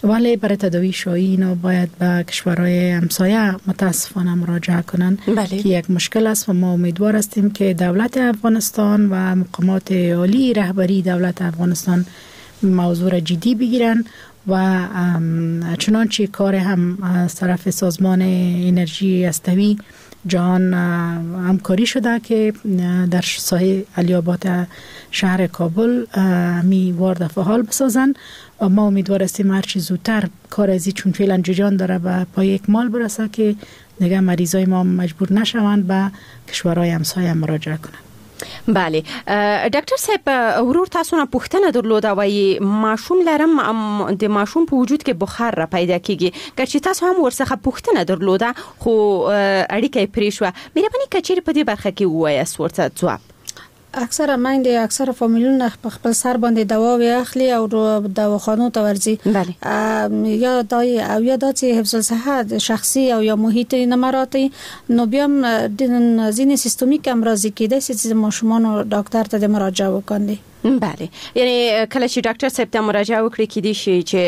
ولی برای تداوی شعاعی اینا باید به کشورهای همسایه متاسفانه مراجعه کنن. بله. که یک مشکل است و ما امیدوار هستیم که دولت افغانستان و مقامات عالی رهبری دولت افغانستان موضوع را جدی بگیرن و چنانچه کار هم از طرف سازمان انرژی هستوی جهان همکاری شده که در ساحه علی‌آباد شهر کابل می وارد فعال بسازن و ما امیدوار هستیم هرچی زودتر کار ازی چون فعلا جریان داره به پای اکمال برسه که دیگه مریضای ما مجبور نشوند به کشورهای همسایه مراجعه کنند. بله، ډاکټر صاحب ورور تاسو نه پوښتنه درلوده، وایي ماشوم لرم، د ماشوم په وجود کې بخار را پیدا کیږي، که چې تاسو هم ورڅخه پوښتنه درلوده خو اړیکه یې پرې شوه، مهرباني که چیرې په دې برخه کې ووایاست ورته ځواب. اکثره میندې اکثره فامیلونه په خپل سر باندې دواوې اخلي او دواخانو ته ورځي. بله. یا دا او یا دا چې حفظ الصحه شخصي او یا محیط نه مراعاتوي، نو بیا هم ځینې سیستمیک امراض کېدای شي چې ماشومانو ډاکټر ته د مراجعه وکړي. بله، یعنی کله چې ډاکټر صاحب ته مراجعه وکړي کېدای شي چې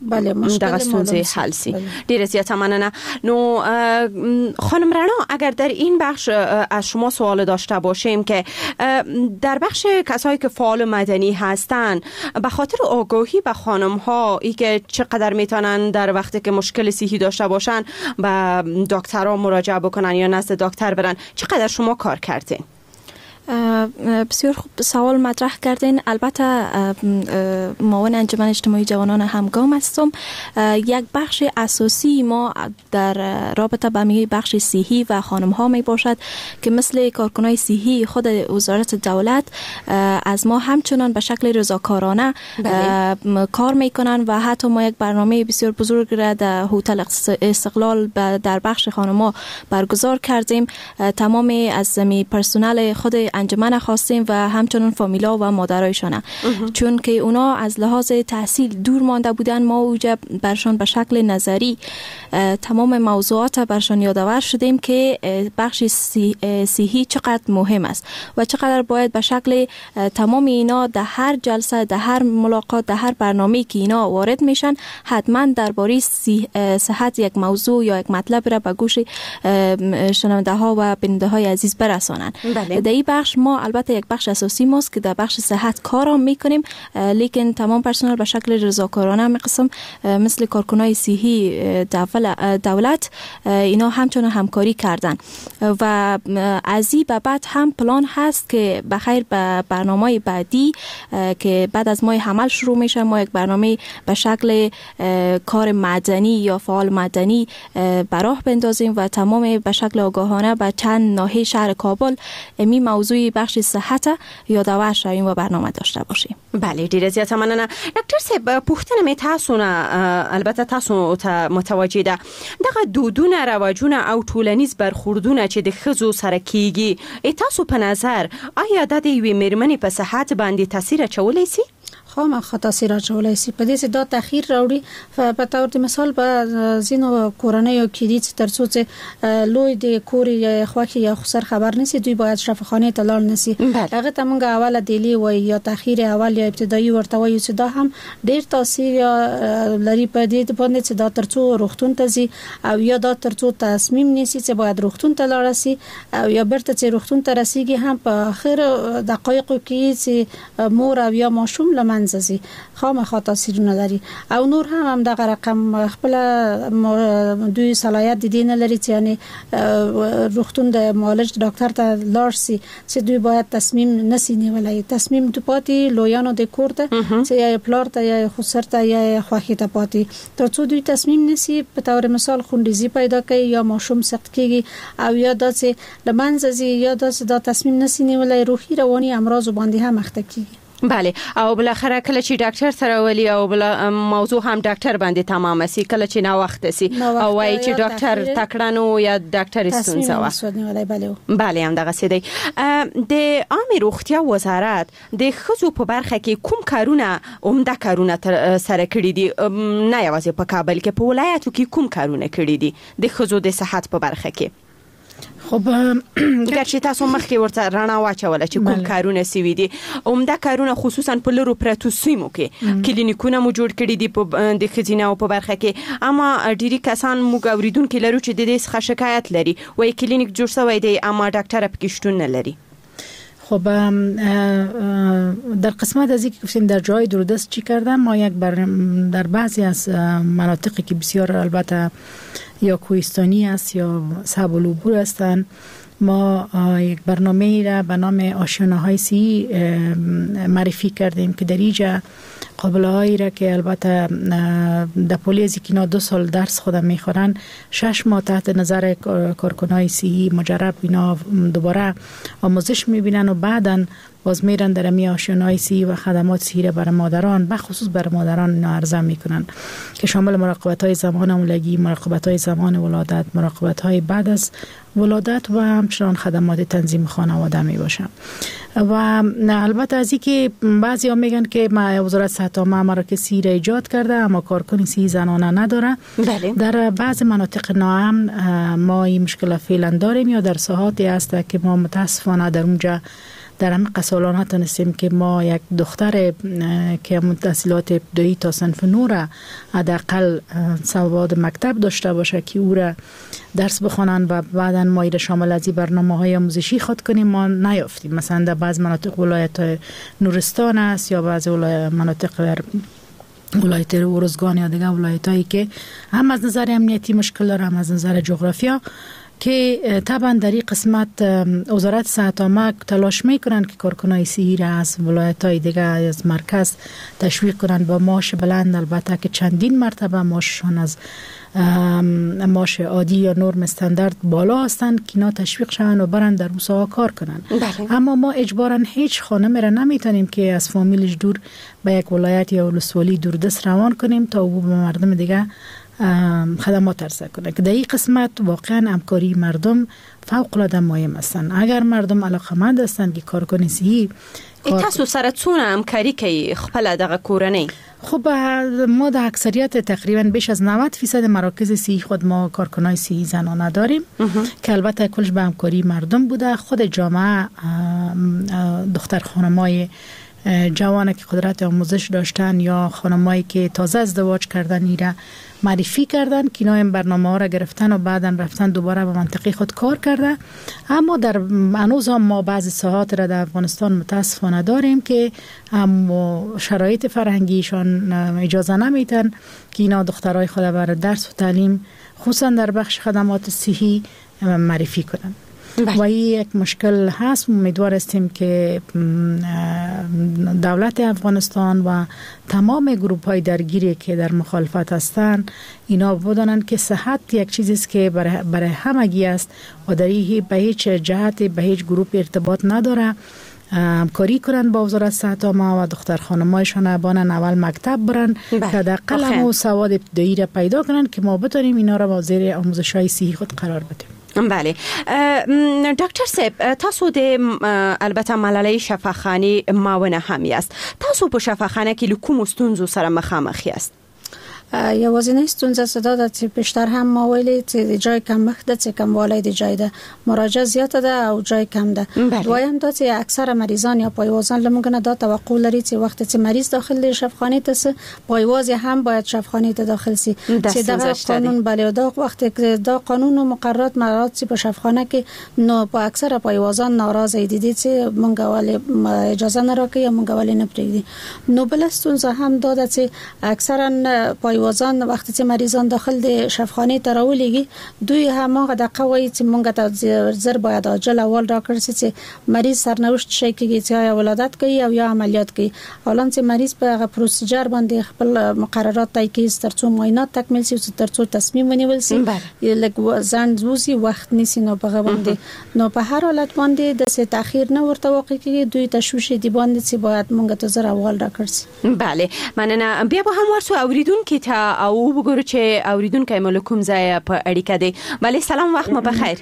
بله دغه ستونزې حل شي. ډیره زیاته مننه. نو خانم رنا، اگر در این بخش از شما سوال داشته باشیم که در بخش کسایی که فعال مدنی هستن به خاطر آگاهی به خانم ها ای که چقدر میتونن در وقتی که مشکل صحی داشته باشن به دکترها مراجعه بکنن یا نزد دکتر برن، چقدر شما کار کردین؟ بسیار خوب سوال مطرح کردین. البته معاون انجمن اجتماعی جوانان همگام هستم. یک بخش اساسی ما در رابطه با بخش صحی و خانم ها می باشد که مثل کارکنای صحی خود وزارت دولت از ما همچنان به شکل رضاکارانه کار میکنن و حتی ما یک برنامه بسیار بزرگ را در هتل استقلال در بخش خانم ها برگزار کردیم. تمام از پرسنل خود انجمن خواستیم و همچنین فامیلا و مادرایشان، چون که اونا از لحاظ تحصیل دور مانده بودن، ما اوجا برشان به شکل نظری تمام موضوعات برشان یادآور شدیم که بخش صحی چقدر مهم است و چقدر باید به شکل تمام اینا در هر جلسه، در هر ملاقات، در هر برنامه‌ای که اینا وارد میشن حتما درباره صحت یک موضوع یا یک مطلب را به گوش شنونده ها و بیننده های عزیز برسانن. بله. در این بخش ما البته یک بخش اساسی ماست که در بخش صحت کار میکنیم، لیکن تمام پرسنل به شکل رضاکارانه قسم مثل کارکنای صحی دولت اینا همچنان همکاری کردن و از این به بعد هم پلان هست که بخیر به برنامه بعدی که بعد از ماه حمل شروع میشه، ما یک برنامه به شکل کار مدنی یا فعال مدنی براه بندازیم و تمام به شکل آگاهانه به چند ناحیه شهر کابل می موضوع بخش صحت یادآور شویم و برنامه داشته باشیم. بله، ډیره زیاته مننه ډاکټر صاحب. پوښتنه مې تاسو نه البته تاسو ته متوجه ده، دغه دودونه، رواجونه او ټولنیز برخوردونه چې د ښځو سره کیږي، تاسو په نظر آیا دا د یوې میرمنې په صحت باندې تاثیر اچولی سي؟ خامخا تاثیر اچولی سي. په دې چې دا تاخیر راوړي. په تور د مثال په ځینو کورنیو کې دي چې تر څو چې لوی د کور یا خوښي یا خسر خبر نسی، دوی باید شفاخانې ته لاړ نسی. هغه ته مونږ اوله دیلی وایي یا تاخیر اول یا ابتدایي ورته وایو چې دا هم ډیر تاثیر یا لري په دې باندې چې دا تر څو روغتون ته ځي او یا دا تر څو تصمیم نیسي چې باید روغتون ته لاړ سي او یا بیرته چې روغتون ته رسیږي هم په اخر دقایقو کې چې مور او یا ماشوم له منځه ځي، خامخا تاثیرونه لري. او نور هم همدغه رقم خپل دوی صلاحیت د دې نه لري چې یعنی روغتون د معالج ډاکټر ته لاړ سي چې دوی باید تصمیم نسی نیولای. تصمیم د پاتې لویانو د کور ته چې یا پلار ته یا خسر ته یا خوښې ته پاتې، تر څو دوی تصمیم نسی. په تور مثال خونریزي پیدا کوي یا ماشوم سقط کیږي او یا داسې له منځه ځي یا داسې دا تصمیم نسی نیولای، روحي رواني امراض باندې هم اخته کیږي. بله، او بالاخره کله چې ډاکټر سره ولي او بل موضوع هم ډاکټر باندې تمامه سي، کله چې ناوخته سي او وایي چې ډاکټر تکړه نو یا ډاکټر ستونزه وه. بله، همدغسې دی. د عامې روغتیا وزارت د ښځو په برخه کې کوم کارونه، عمده کارونه تر سره کړي دي؟ نه یوازې په کابل کې، په ولایاتو کې کوم کارونه کړي دي د ښځو د صحت په برخه کې؟ خب ګرچې تاسو مخکې ورته رڼا واچوله چې کوم کارونه سوي دي، عمده کارونه خصوصا په لرو پرتو سیمو کې کلینیکونه مو جوړ کړي دي د ښځینه په برخه کې، اما ډیری کسان موږ اوریدونکي لرو چې د دې څخه شکایت لري، وایي کلینیک جوړ سوی دی اما ډاکټر پکې شتون نه لري. خب در قسمت از اینکه گفتیم در جای دوردست چی کردم، ما یک در بعضی از مناطقی که بسیار البته یا کوهستانی است یا صعب العبور هستند، ما یک برنامه را به نام آشیانه های سی معرفی کردیم که در اینجا قابله هایی را که البته در پولیزی که اینا 2 سال درس خودم میخورن، 6 ماه تحت نظر کارکنای سی مجرب اینا دوباره آموزش میبینن و بعدا باز میرن در امی آشیانه سی و خدمات سی را برای مادران، به خصوص برای مادران اینا عرضه میکنن که شامل مراقبت های زمان حاملگی، مراقبت های زمان ولادت، مراقبت های بعد از ولادت و همچنان خدمات تنظیم خانواده می باشن. و البته از اینکه بعضی ها میگن که ما وزارت صحت عامه مراکز سی را ایجاد کرده اما کارکن سی زنانه نداره. بله. در بعض مناطق ناامن ما این مشکل فعلا داریم یا در ساحاتی هست که ما متاسفانه در اونجا در همه قسالان نتونستیم که ما یک دختر که تحصیلات ابتدایی تا صنف 9 را حداقل سواد مکتب داشته باشه که او را درس بخوانند و بعدا ما ایره شامل از این برنامه های آموزشی خود کنیم، ما نیافتیم. مثلا در بعض مناطق ولایت نورستان است یا بعض مناطق در ولایت ارزگان یا دیگر ولایت هایی که هم از نظر امنیتی مشکل داره هم از نظر جغرافیا، که طبعا در این قسمت وزارت صحت عامه تلاش میکنن که کارکنای صحی را از ولایت های دیگه از مرکز تشویق کنن با معاش بلند، البته که چندین مرتبه معاششان از معاش عادی یا نرم استاندارد بالا هستند که اینا تشویق شوند و برن در اون کار کنن. بله. اما ما اجبارا هیچ خانم را نمیتونیم که از فامیلش دور به یک ولایت یا ولسوالی دوردست روان کنیم تا او به مردم دیگه خدمات عرضه کنه که در این قسمت واقعا همکاری مردم فوق العاده مهم هستند. اگر مردم علاقمند هستند که کارکن صحي تاسو سره څونه همکاري کوي خپل دغه کورنۍ؟ خب ما در اکثریت تقریبا بیش از 90% مراکز صحی خود ما کارکنای صحی زنانه داریم که البته کلش به همکاری مردم بوده. خود جامعه دختر خانمای جوانه که قدرت آموزش داشتن یا خانمایی که تازه ازدواج کردن ایره معرفی کردن که اینا این برنامه ها را گرفتن و بعدا رفتن دوباره به منطقه خود کار کرده. اما در هنوز هم ما بعضی ساحات را در افغانستان متاسفانه داریم که هم شرایط فرهنگیشان اجازه نمیتن که اینا دخترای خود برای درس و تعلیم خصوصا در بخش خدمات صحی معرفی کنن. و این یک مشکل هست. امیدوار هستیم که دولت افغانستان و تمام گروپ های درگیری که در مخالفت هستند اینا بدانند که صحت یک چیزی است که برای همگی است و در این به هیچ جهت به هیچ گروپ ارتباط نداره. همکاری کنن با وزارت صحت عامه و دختر خانمایشان بانن اول مکتب برن که حداقل هم سواد ابتدایی را پیدا کنن که ما بتونیم اینا را با زیر آموزش های صحی خود قرار بدیم. بله ډاکټر صاحب، تاسو د البته ملالۍ شفاخانې معاونه هم یاست. تاسو په شفاخانه کې له کومو ستونزو سره مخامخ یاست؟ یوازینۍ ستونزه څه دا ده چې پیشتر هم ما ویلي چې د جای کمښت ده، چې کموالی د جای ده، مراجعه زیاته ده او جای کم ده. دویم دا چې اکثره مریضان یا پایوازان له موږ نه دا توقع لري چې وخت چې مریض داخل دی شفاخانې ته سي، پایواز هم باید شفاخانې ته داخل سي، چې دغه قانون بله دا وخت دا قانون او مقررات مرات چې په شفاخانه کې نو په اکثره پایوازان ناراضه دي چې موږ ولې اجازه نه راکوي یا موږ ولې نه پرېږدي. نو بله ستونزه هم دا ده چې اکثرا پایوازان وقتی چې مریضان داخل د شفاخانې ته راولېږي دوی هماغه دقه وایي چې مونږ ته زر باید عاجل اول راکړ سي چې مریض سرنوشت شي کېږي چې یا ولادت کوي او یا عملیات کوي. حالان چې مریض په هغه پروسیجر باندې خپل مقررات طی کوي ترڅو معاینات تکمیل سي ترڅو تصمیم ونیول سي، لږ ځنډ وسی وخت نیسي. نو په هغه باندې نو په هر حالت باندې داسې تاخیر نه ورته واقع کېږي، دوی تشویش دي باندې چې باید مونږ ته زر اول راکړ سي. بله مننه. بیا به هم ورسو اوریدونکي ته او وګورو چې اوریدونکی مو له کوم ځایه په اړیکه دی. بله سلام، وخت مو بخیر.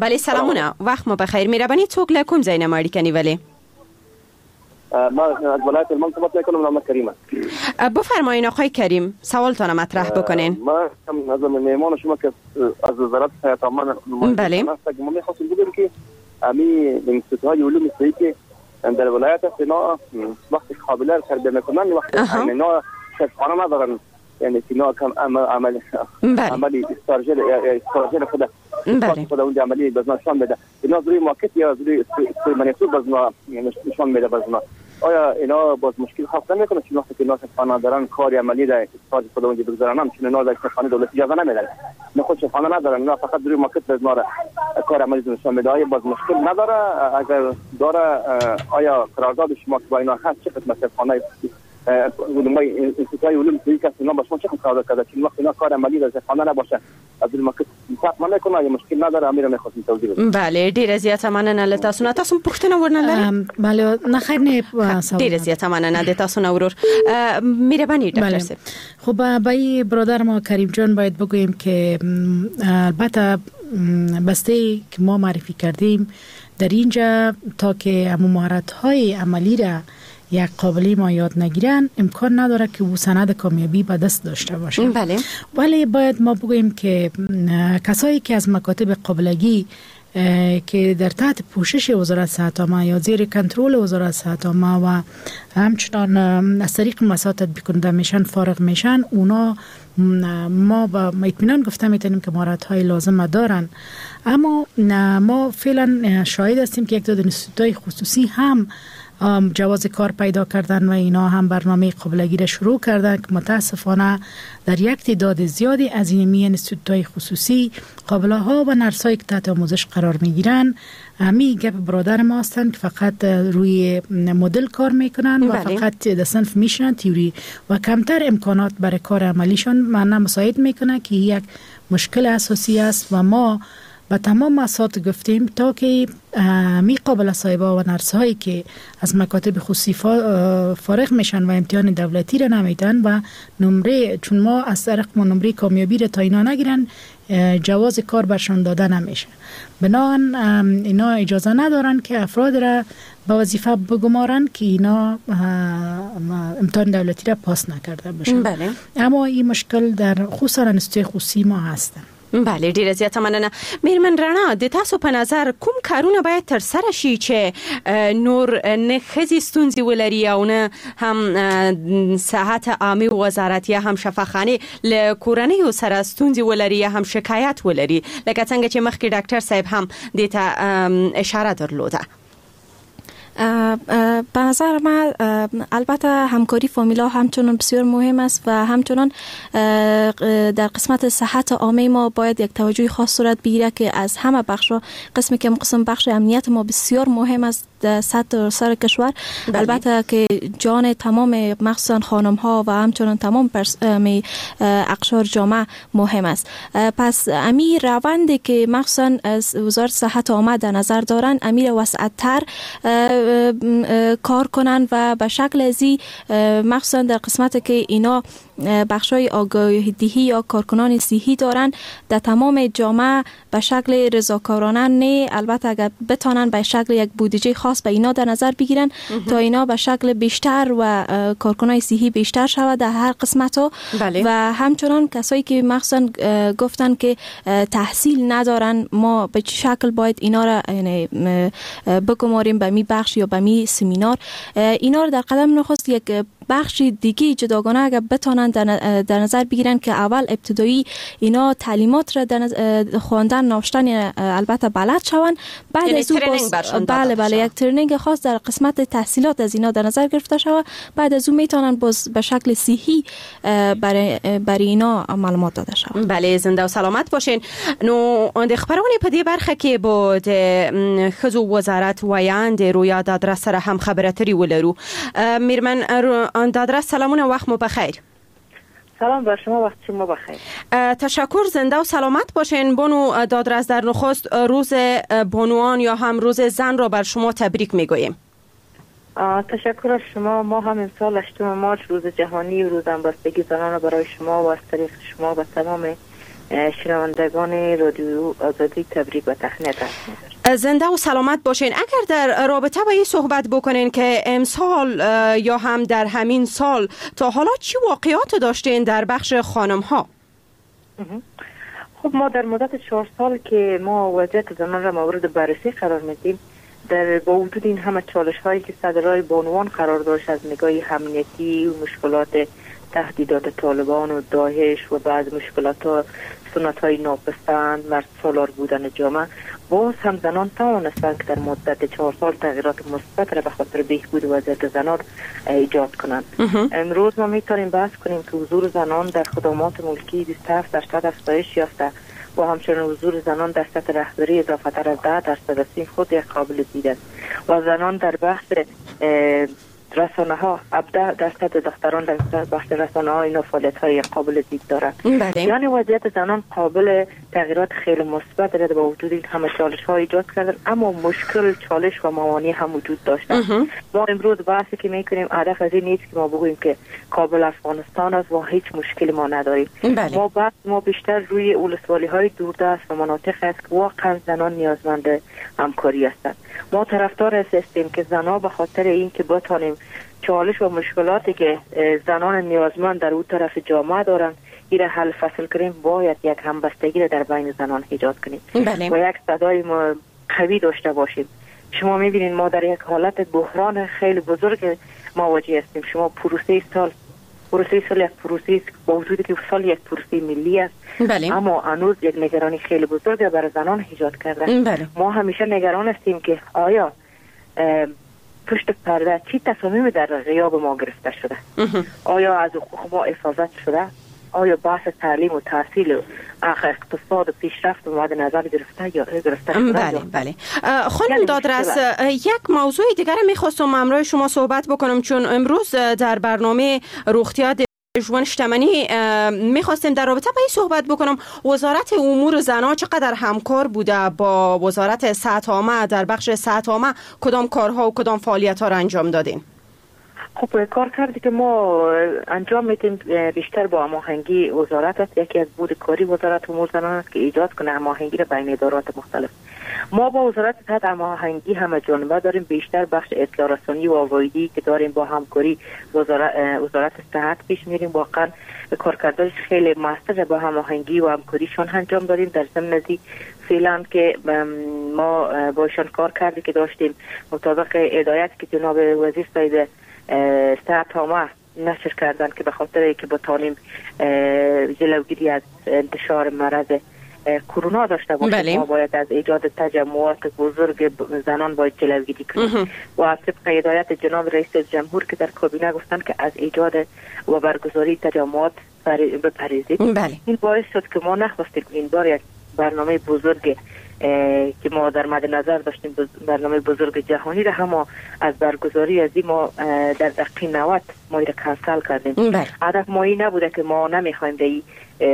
بله سلامونه، وخت مو بخیر. مهرباني څوک له کوم ځای نه مو اړیکه نیولې؟ ما از ولایت هلمند صحبت میکنم، نام کریم است. بفرمایین آقای کریم، سوالتان مطرح بکنین. ما از مهمان شما که از وزارت صحت عامه بله ما میخواستیم بگیم که امی انستیتوت های علوم صحی که در ولایت است اینا وقتی قابله رو تربیه میکنن وقتی اینا شفاخانه ندارن، یعنی اینا کم عمل عملی استارژل خود خود اون عملی باز نشان میده، اینا روی ماکت یا روی منیتور باز نشان میده باز. آیا اینا باز مشکل خلق نمیکنه چون وقتی که اینا شفاخانه دارن کار عملی در استارژ خود اونجا بگذارن، چون اینا در شفاخانه دولتی اجازه نمیدن، نه خود شفاخانه ندارن، اینا فقط روی ماکت باز کار عملی نشان میده. آیا باز مشکل نداره؟ اگر داره آیا قرارداد شما که با اینا هست چه قسمت شفاخانه علمای انستیتوت علوم صحی که اینا با شما چه قرارداد کرده چون وقتی اینا کار عملی در شفاخانه نباشه از الماکت فرق نمیکنه یا مشکل نداره؟ امیر میخواستم توضیح بدم. بله ډیره زیاته مننه له تاسو نه. تاسو پوښتنه ورنه لرئ؟ بله نه خیر نه، ډیره زیاته مننه د تاسو نه ورور. مهرباني ډاکټر صاحب. خب با برادر ما کریم جان باید بگوییم که البته بسته که ما معرفی کردیم در اینجا تا که مهارت های عملی را یک قابلی ما یاد نگیرن امکان نداره که او سند کامیابی به دست داشته باشه. بله. ولی باید ما بگوییم که کسایی که از مکاتب قابلگی که در تحت پوشش وزارت صحت عامه یا زیر کنترل وزارت صحت عامه و همچنان از طریق مسائل تطبیق کننده میشن فارغ میشن، اونا ما با اطمینان گفته میتونیم که مهارت های لازم دارن. اما ما فعلا شاهد هستیم که یک تعداد انستیتوت خصوصی هم جواز کار پیدا کردن و اینا هم برنامه قابلگی را شروع کردن که متاسفانه در یک تعداد زیادی از این انستیتوت خصوصی قابله ها و نرسایی که تحت آموزش قرار میگیرن همی گپ برادر ما هستند که فقط روی مدل کار میکنن و فقط در صنف میشنن تیوری و کمتر امکانات برای کار عملیشان معنا مساعد میکنه که یک مشکل اساسی است و ما به تمام مؤسسات گفتیم تا که می قابل صاحبا و نرس هایی که از مکاتب خصوصی فارغ میشن و امتحان دولتی را نمیدن و نمره، چون ما از طریق ما نمره کامیابی را تا اینا نگیرن جواز کار برشان داده نمیشه. بنابراین اینا اجازه ندارن که افراد را به وظیفه بگمارن که اینا امتحان دولتی را پاس نکرده باشن. بله. اما این مشکل در خصوصا انستیتوی خصوصی ما هستن. بله، ډیره زیاته مننه. میرمن رڼا، د تاسو په نظر کوم کارونه باید تر سره شي چې نور نه ښځې ستونزې ولري او نه هم صحت عامې وزارت یا هم شفاخانې له کورنیو سره ستونزې ولري یا هم شکایت ولري، لکه څنګه چې مخکې ډاکټر صاحب هم دې ته اشاره درلوده؟ به نظر من البته همکاری فامیلا همچنان بسیار مهم است و همچنان در قسمت صحت عامه ما باید یک توجه خاص صورت بگیره که از همه بخش‌ها، قسمی که قسم بخش امنیت ما بسیار مهم است در سطح سر کشور. بله. البته که جان تمام مخصوصا خانم ها و همچنان تمام اقشار جامعه مهم است. پس امی روندی که مخصوصا از وزارت صحت عامه در نظر دارن، امیر وسعت‌تر کار کنن و به شکل ازی مخصوصا در قسمت که اینا بخشای آگاهی دهی یا کارکنان صحی دارن در تمام جامعه به شکل رضاکارانه نه، البته اگر بتانن به شکل یک بودجه خاص به اینا در نظر بگیرن تا اینا به شکل بیشتر و کارکنان صحی بیشتر شود در هر قسمت ها. بله. و همچنان کسایی که مخصوصا گفتن که تحصیل ندارن، ما به چه شکل باید اینا را یعنی بگماریم به می بخش یا به می سمینار، اینا را در قدم نخست یک بخش دیگه جداگانه اگر بتانن در نظر بگیرن که اول ابتدایی اینا تعلیمات را در خواندن نوشتن البته بلد شوند، بعد از او بله بله یک training خاص در قسمت تحصیلات از اینا در نظر گرفته شود، بعد از او میتونن باز به شکل صحی برای اینا معلومات داده شود. بله، زنده و سلامت باشین. نو د خبرونې په دې برخه کې به د ښځو وزارت ویاند رویا دادرس سره هم خبرې اترې ولرو. میرمن دادرس، سلامونه، وخت مو بخیر. سلام بر شما، وقت شما بخیر. تشکر، زنده و سلامت باشین. بانو دادرس، در نخست روز بانوان یا هم روز زن را بر شما تبریک میگوییم. تشکر از شما. ما هم امسال 8 مارچ روز جهانی و روز همبستگی زنان را برای شما و از طریق شما و تمام شنوندگان رادیو آزادی تبریک و تهنیت عرض می‌دارم. زنده و سلامت باشین. اگر در رابطه با این صحبت بکنین که امسال یا هم در همین سال تا حالا چی واقعات داشتین در بخش خانم ها؟ خب ما در مدت 4 سال که ما وضعیت زنان را مورد بررسی قرار میدیم، در با وجود این همه چالش هایی که سر راه بانوان قرار داشت از نگاه امنیتی و مشکلات تهدیدات طالبان و داعش و بعض مشکلات ها، سنت های ناپسند، مرد سالار بودن جامعه، باز هم زنان توانستند که در مدت 4 سال تغییرات مثبت را به خاطر بهبود وضعیت زنان ایجاد کنند. امروز ما میتونیم بحث کنیم که حضور زنان در خدمات ملکی 27% افزایش یافته و همچنین حضور زنان در سطح رهبری اضافه تر از 10% است. این خود یک قابل دید است. و زنان در بحث رسانه ها 17% دختران در بخش رسانه ها اینا فعالیت های قابل دید دارند. بله. یعنی وضعیت زنان قابل تغییرات خیلی مثبت را با وجود این همه چالش ها ایجاد کردن، اما مشکل چالش و موانع هم وجود داشتن. ما امروز بحثی که میکنیم هدف از این نیست که ما بگوییم که کابل افغانستان است و هیچ مشکلی ما نداریم. بله. ما بحث ما بیشتر روی ولسوالی های دوردست و مناطق است که واقعا زنان نیازمند همکاری هستند. ما طرفدار هستیم که زنان به خاطر اینکه بتانیم چالش و مشکلاتی که زنان نیازمند در اون طرف جامعه دارن این را حل فصل کنیم، باید یک همبستگی را در بین زنان ایجاد کنیم. بله. و یک صدای قوی داشته باشیم. شما میبینید ما در یک حالت بحران خیلی بزرگ مواجه هستیم. شما پروسه سال یک پروسه با وجودی که سال یک پروسه ملی است. بله. اما هنوز یک نگرانی خیلی بزرگ برای زنان ایجاد کرده. بله. ما همیشه نگران هستیم که آیا پشت پرده چی تصمیم در غیاب ما گرفته شده؟ آیا از حقوق ما حفاظت شده؟ آیا بحث تعلیم و تحصیل و اقتصاد و پیشرفت مد نظر گرفته یا گرفته شده؟ بله بله. خانم دادرس، یک موضوع دیگر میخواستم همراه شما صحبت بکنم، چون امروز در برنامه روغتیا ژوند شتمنی میخواستیم در رابطه با این صحبت بکنم. وزارت امور زنان چقدر همکار بوده با وزارت صحت عامه؟ در بخش صحت عامه کدام کارها و کدام فعالیت ها را انجام دادین؟ خب کار کردی که ما انجام میدیم بیشتر با هماهنگی وزارت است. یکی از بود کاری وزارت امور زنان است که ایجاد کنه هماهنگی را بین ادارات مختلف. ما با وزارت صحت هماهنگی همه جانبه داریم، بیشتر بخش اطلاع رسانی و آگاهی که داریم با همکاری وزارت صحت پیش میریم. واقعا کارکردش خیلی موثر با هماهنگی و همکاریشان انجام دادیم. در ضمن از فعلا که ما با ایشان کار کردی که داشتیم مطابق هدایت که جناب وزیر صاحب صحت عامه نشر کردن که به خاطر اینکه بتانیم جلوگیری از انتشار مرض کرونا داشته باشیم، ما باید از ایجاد تجمعات بزرگ زنان باید جلوگیری کنیم و طبق هدایت جناب رئیس جمهور که در کابینه گفتن که از ایجاد و برگزاری تجمعات بپرهیزید. این باعث شد که ما نخواستیم این بار یک برنامه بزرگ که ما در مد نظر داشتیم، برنامه بزرگ جهانی را هم از برگزاری از این ما در دقیقه 90 ما را کنسل کردیم. هدف ما این نبوده که ما نمیخوایم در این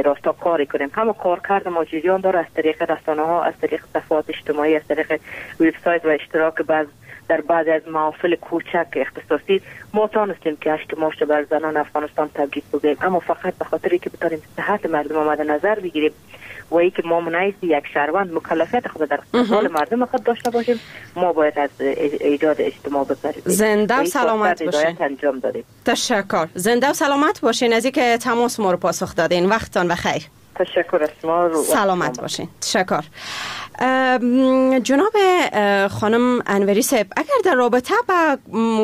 راستا کاری کنیم. همه کار کرد ما جریان داره از طریق رسانه ها، از طریق صفحات اجتماعی، از طریق وبسایت و اشتراک بعض در بعضی از محافل کوچک اختصاصی ما تانستیم که 8 مارس بر زنان افغانستان تبریک بگوییم، اما فقط به خاطر اینکه بتانیم صحت مردم آمده نظر بگیریم و اینکه ما منعکس یک شهروند مکلفیت خود در حال مردم خود داشته باشیم، ما باید از ایجاد اجتماع بپرهیزیم. زنده و سلامت باشین. انجام دادیم. تشکر. زنده و سلامت باشین از اینکه تماس ما رو پاسخ دادین. وقتتان بخیر. تشکر از شما. سلامت باشین. تشکر. جناب خانم انوری صاحب، اگر در رابطه با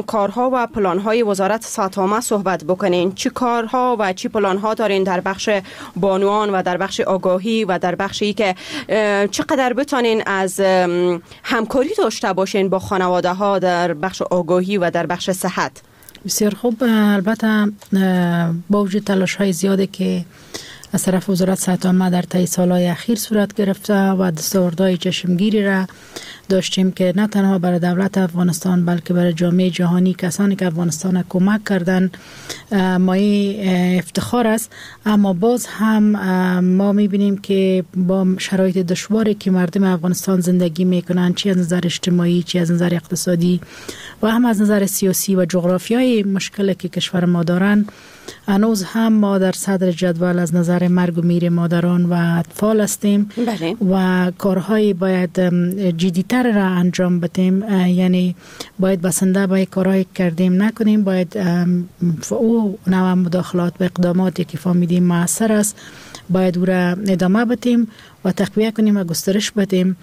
کارها و پلانهای وزارت صحت عامه صحبت بکنین، چی کارها و چی پلانها دارین در بخش بانوان و در بخش آگاهی و در بخشی که چقدر بتانین از همکاری داشته باشین با خانواده ها در بخش آگاهی و در بخش صحت؟ بسیار خوب. البته با وجود تلاش های زیادی که از طرف وزارت صحت عامه در طی سالهای اخیر صورت گرفته و دستاوردهای چشمگیری را داشتیم که نه تنها برای دولت افغانستان بلکه برای جامعه جهانی، کسانی که افغانستان کمک کردن، مایه افتخار است. اما باز هم ما میبینیم که با شرایط دشواری که مردم افغانستان زندگی میکنن، چی از نظر اجتماعی، چی از نظر اقتصادی و هم از نظر سیاسی و جغرافیایی مشکلی که کشور ما دارن، هنوز هم ما در صدر جدول از نظر مرگ و میر مادران و اطفال هستیم. بله. و کارهای باید جدی‌تر را انجام بدیم، یعنی باید بسنده با کارهایی کردیم نکنیم، باید او نوع مداخلات و اقداماتی که فهمیدیم موثر است باید او را ادامه بدیم و تقویه کنیم و گسترش بدیم.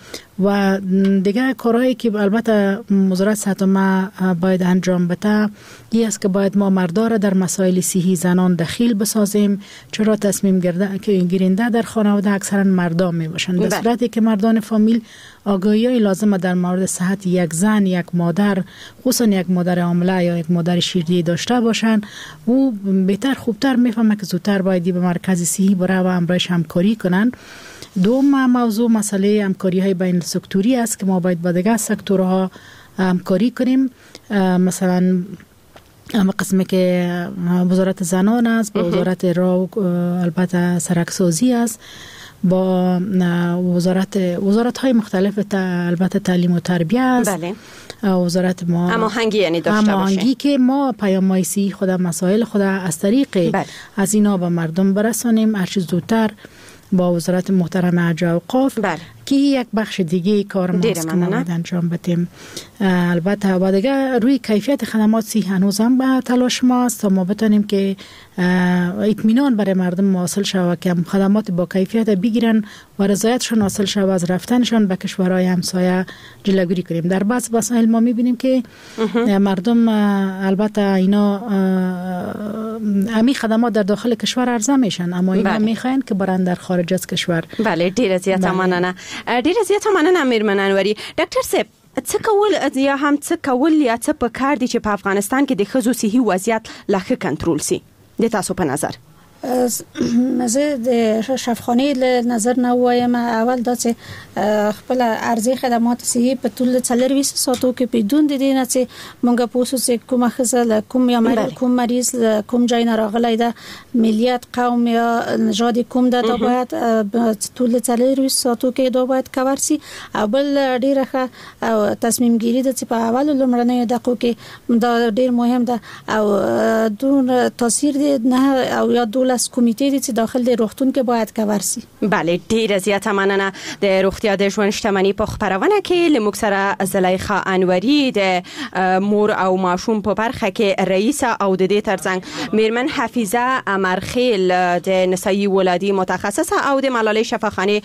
و دیگه کارهایی که البته وزارت صحت عامه باید انجام بده این است که باید ما مردا را در مسائل صحی زنان دخیل بسازیم، چرا تصمیم گیرنده در خانواده اکثرا مردان می باشند. در صورتی که مردان فامیل آگاهی لازم در مورد صحت یک زن، یک مادر، خصوصا یک مادر حامله یا یک مادر شیرده داشته باشند، او بهتر خوبتر میفهمه که زودتر باید به مرکز صحی بره و همراهش همکاری کنند. دوم موضوع مسئله همکاری های بین سکتوری است که ما باید با دیگر سکتورها همکاری کنیم. مثلا قسمی که وزارت زنان است، با وزارت راه البته سرکسازی است، با وزارت های مختلف البته تعلیم و تربیه است. بله. وزارت ما هماهنگی یعنی داشته باشیم، هماهنگی که ما پیام سی خود مسائل خود از طریق بله. از اینا به مردم برسانیم هر چیز زودتر با وزارت محترم حج و اوقاف. بله. که یک بخش دیگه کار ماست که ما باید انجام بدیم. البته و دیگه روی کیفیت خدمات صحی هنوز هم به تلاش ماست تا ما بتونیم که اطمینان برای مردم حاصل شود که خدمات با کیفیت بگیرن و رضایتشون حاصل شود، از رفتنشون به کشورهای همسایه جلوگیری کنیم. در بعض مسائل ما میبینیم که مردم البته اینا امی خدمات در داخل کشور عرضه میشن، اما اینا میخواین که برن در خارج از کشور. بله، ډیره زیاته مننه. ډیره زیاته مننه میرمن انوري. ډاکټر صاحب، څه کول یا هم څه کول یا څه پکار دي چې په افغانستان کې د ښځو صحي وضعیت لا ښه کنټرول سي د تاسو په نظر؟ زه د شفخانې له نظر نه ووایم، اول دا چې خپل ارزي خدمات صحي په طول 24 ساعتو کې بدون د دې نه چې مونږ پوه شو چې کومه ښځه له کوم یا کوم مریض له کوم ځای نه راغلی ده، ملیت، قوم یا نژاد کوم ده، دا باید طول 24 ساعتو کې دا باید کور سي. او بل ډیره ښه او تصمیم ګیري ده چې په اولو لومړنیو دقیقو کې دا ډیر مهم ده او دون تاثیر دی نه او یا 12 کمیټې دي چې داخل د روغتون کې باید کور سي. بله، ډیره زیاته مننه. د روغتیا د ژوند شتمني په خپرونه کې له موږ سره زلیخا انوري د مور او ماشوم په برخه کې رئیسه او د دې ترڅنګ میرمن حفیظه امرخیل د نسایي ولادي متخصصه او د ملالۍ شفاخانې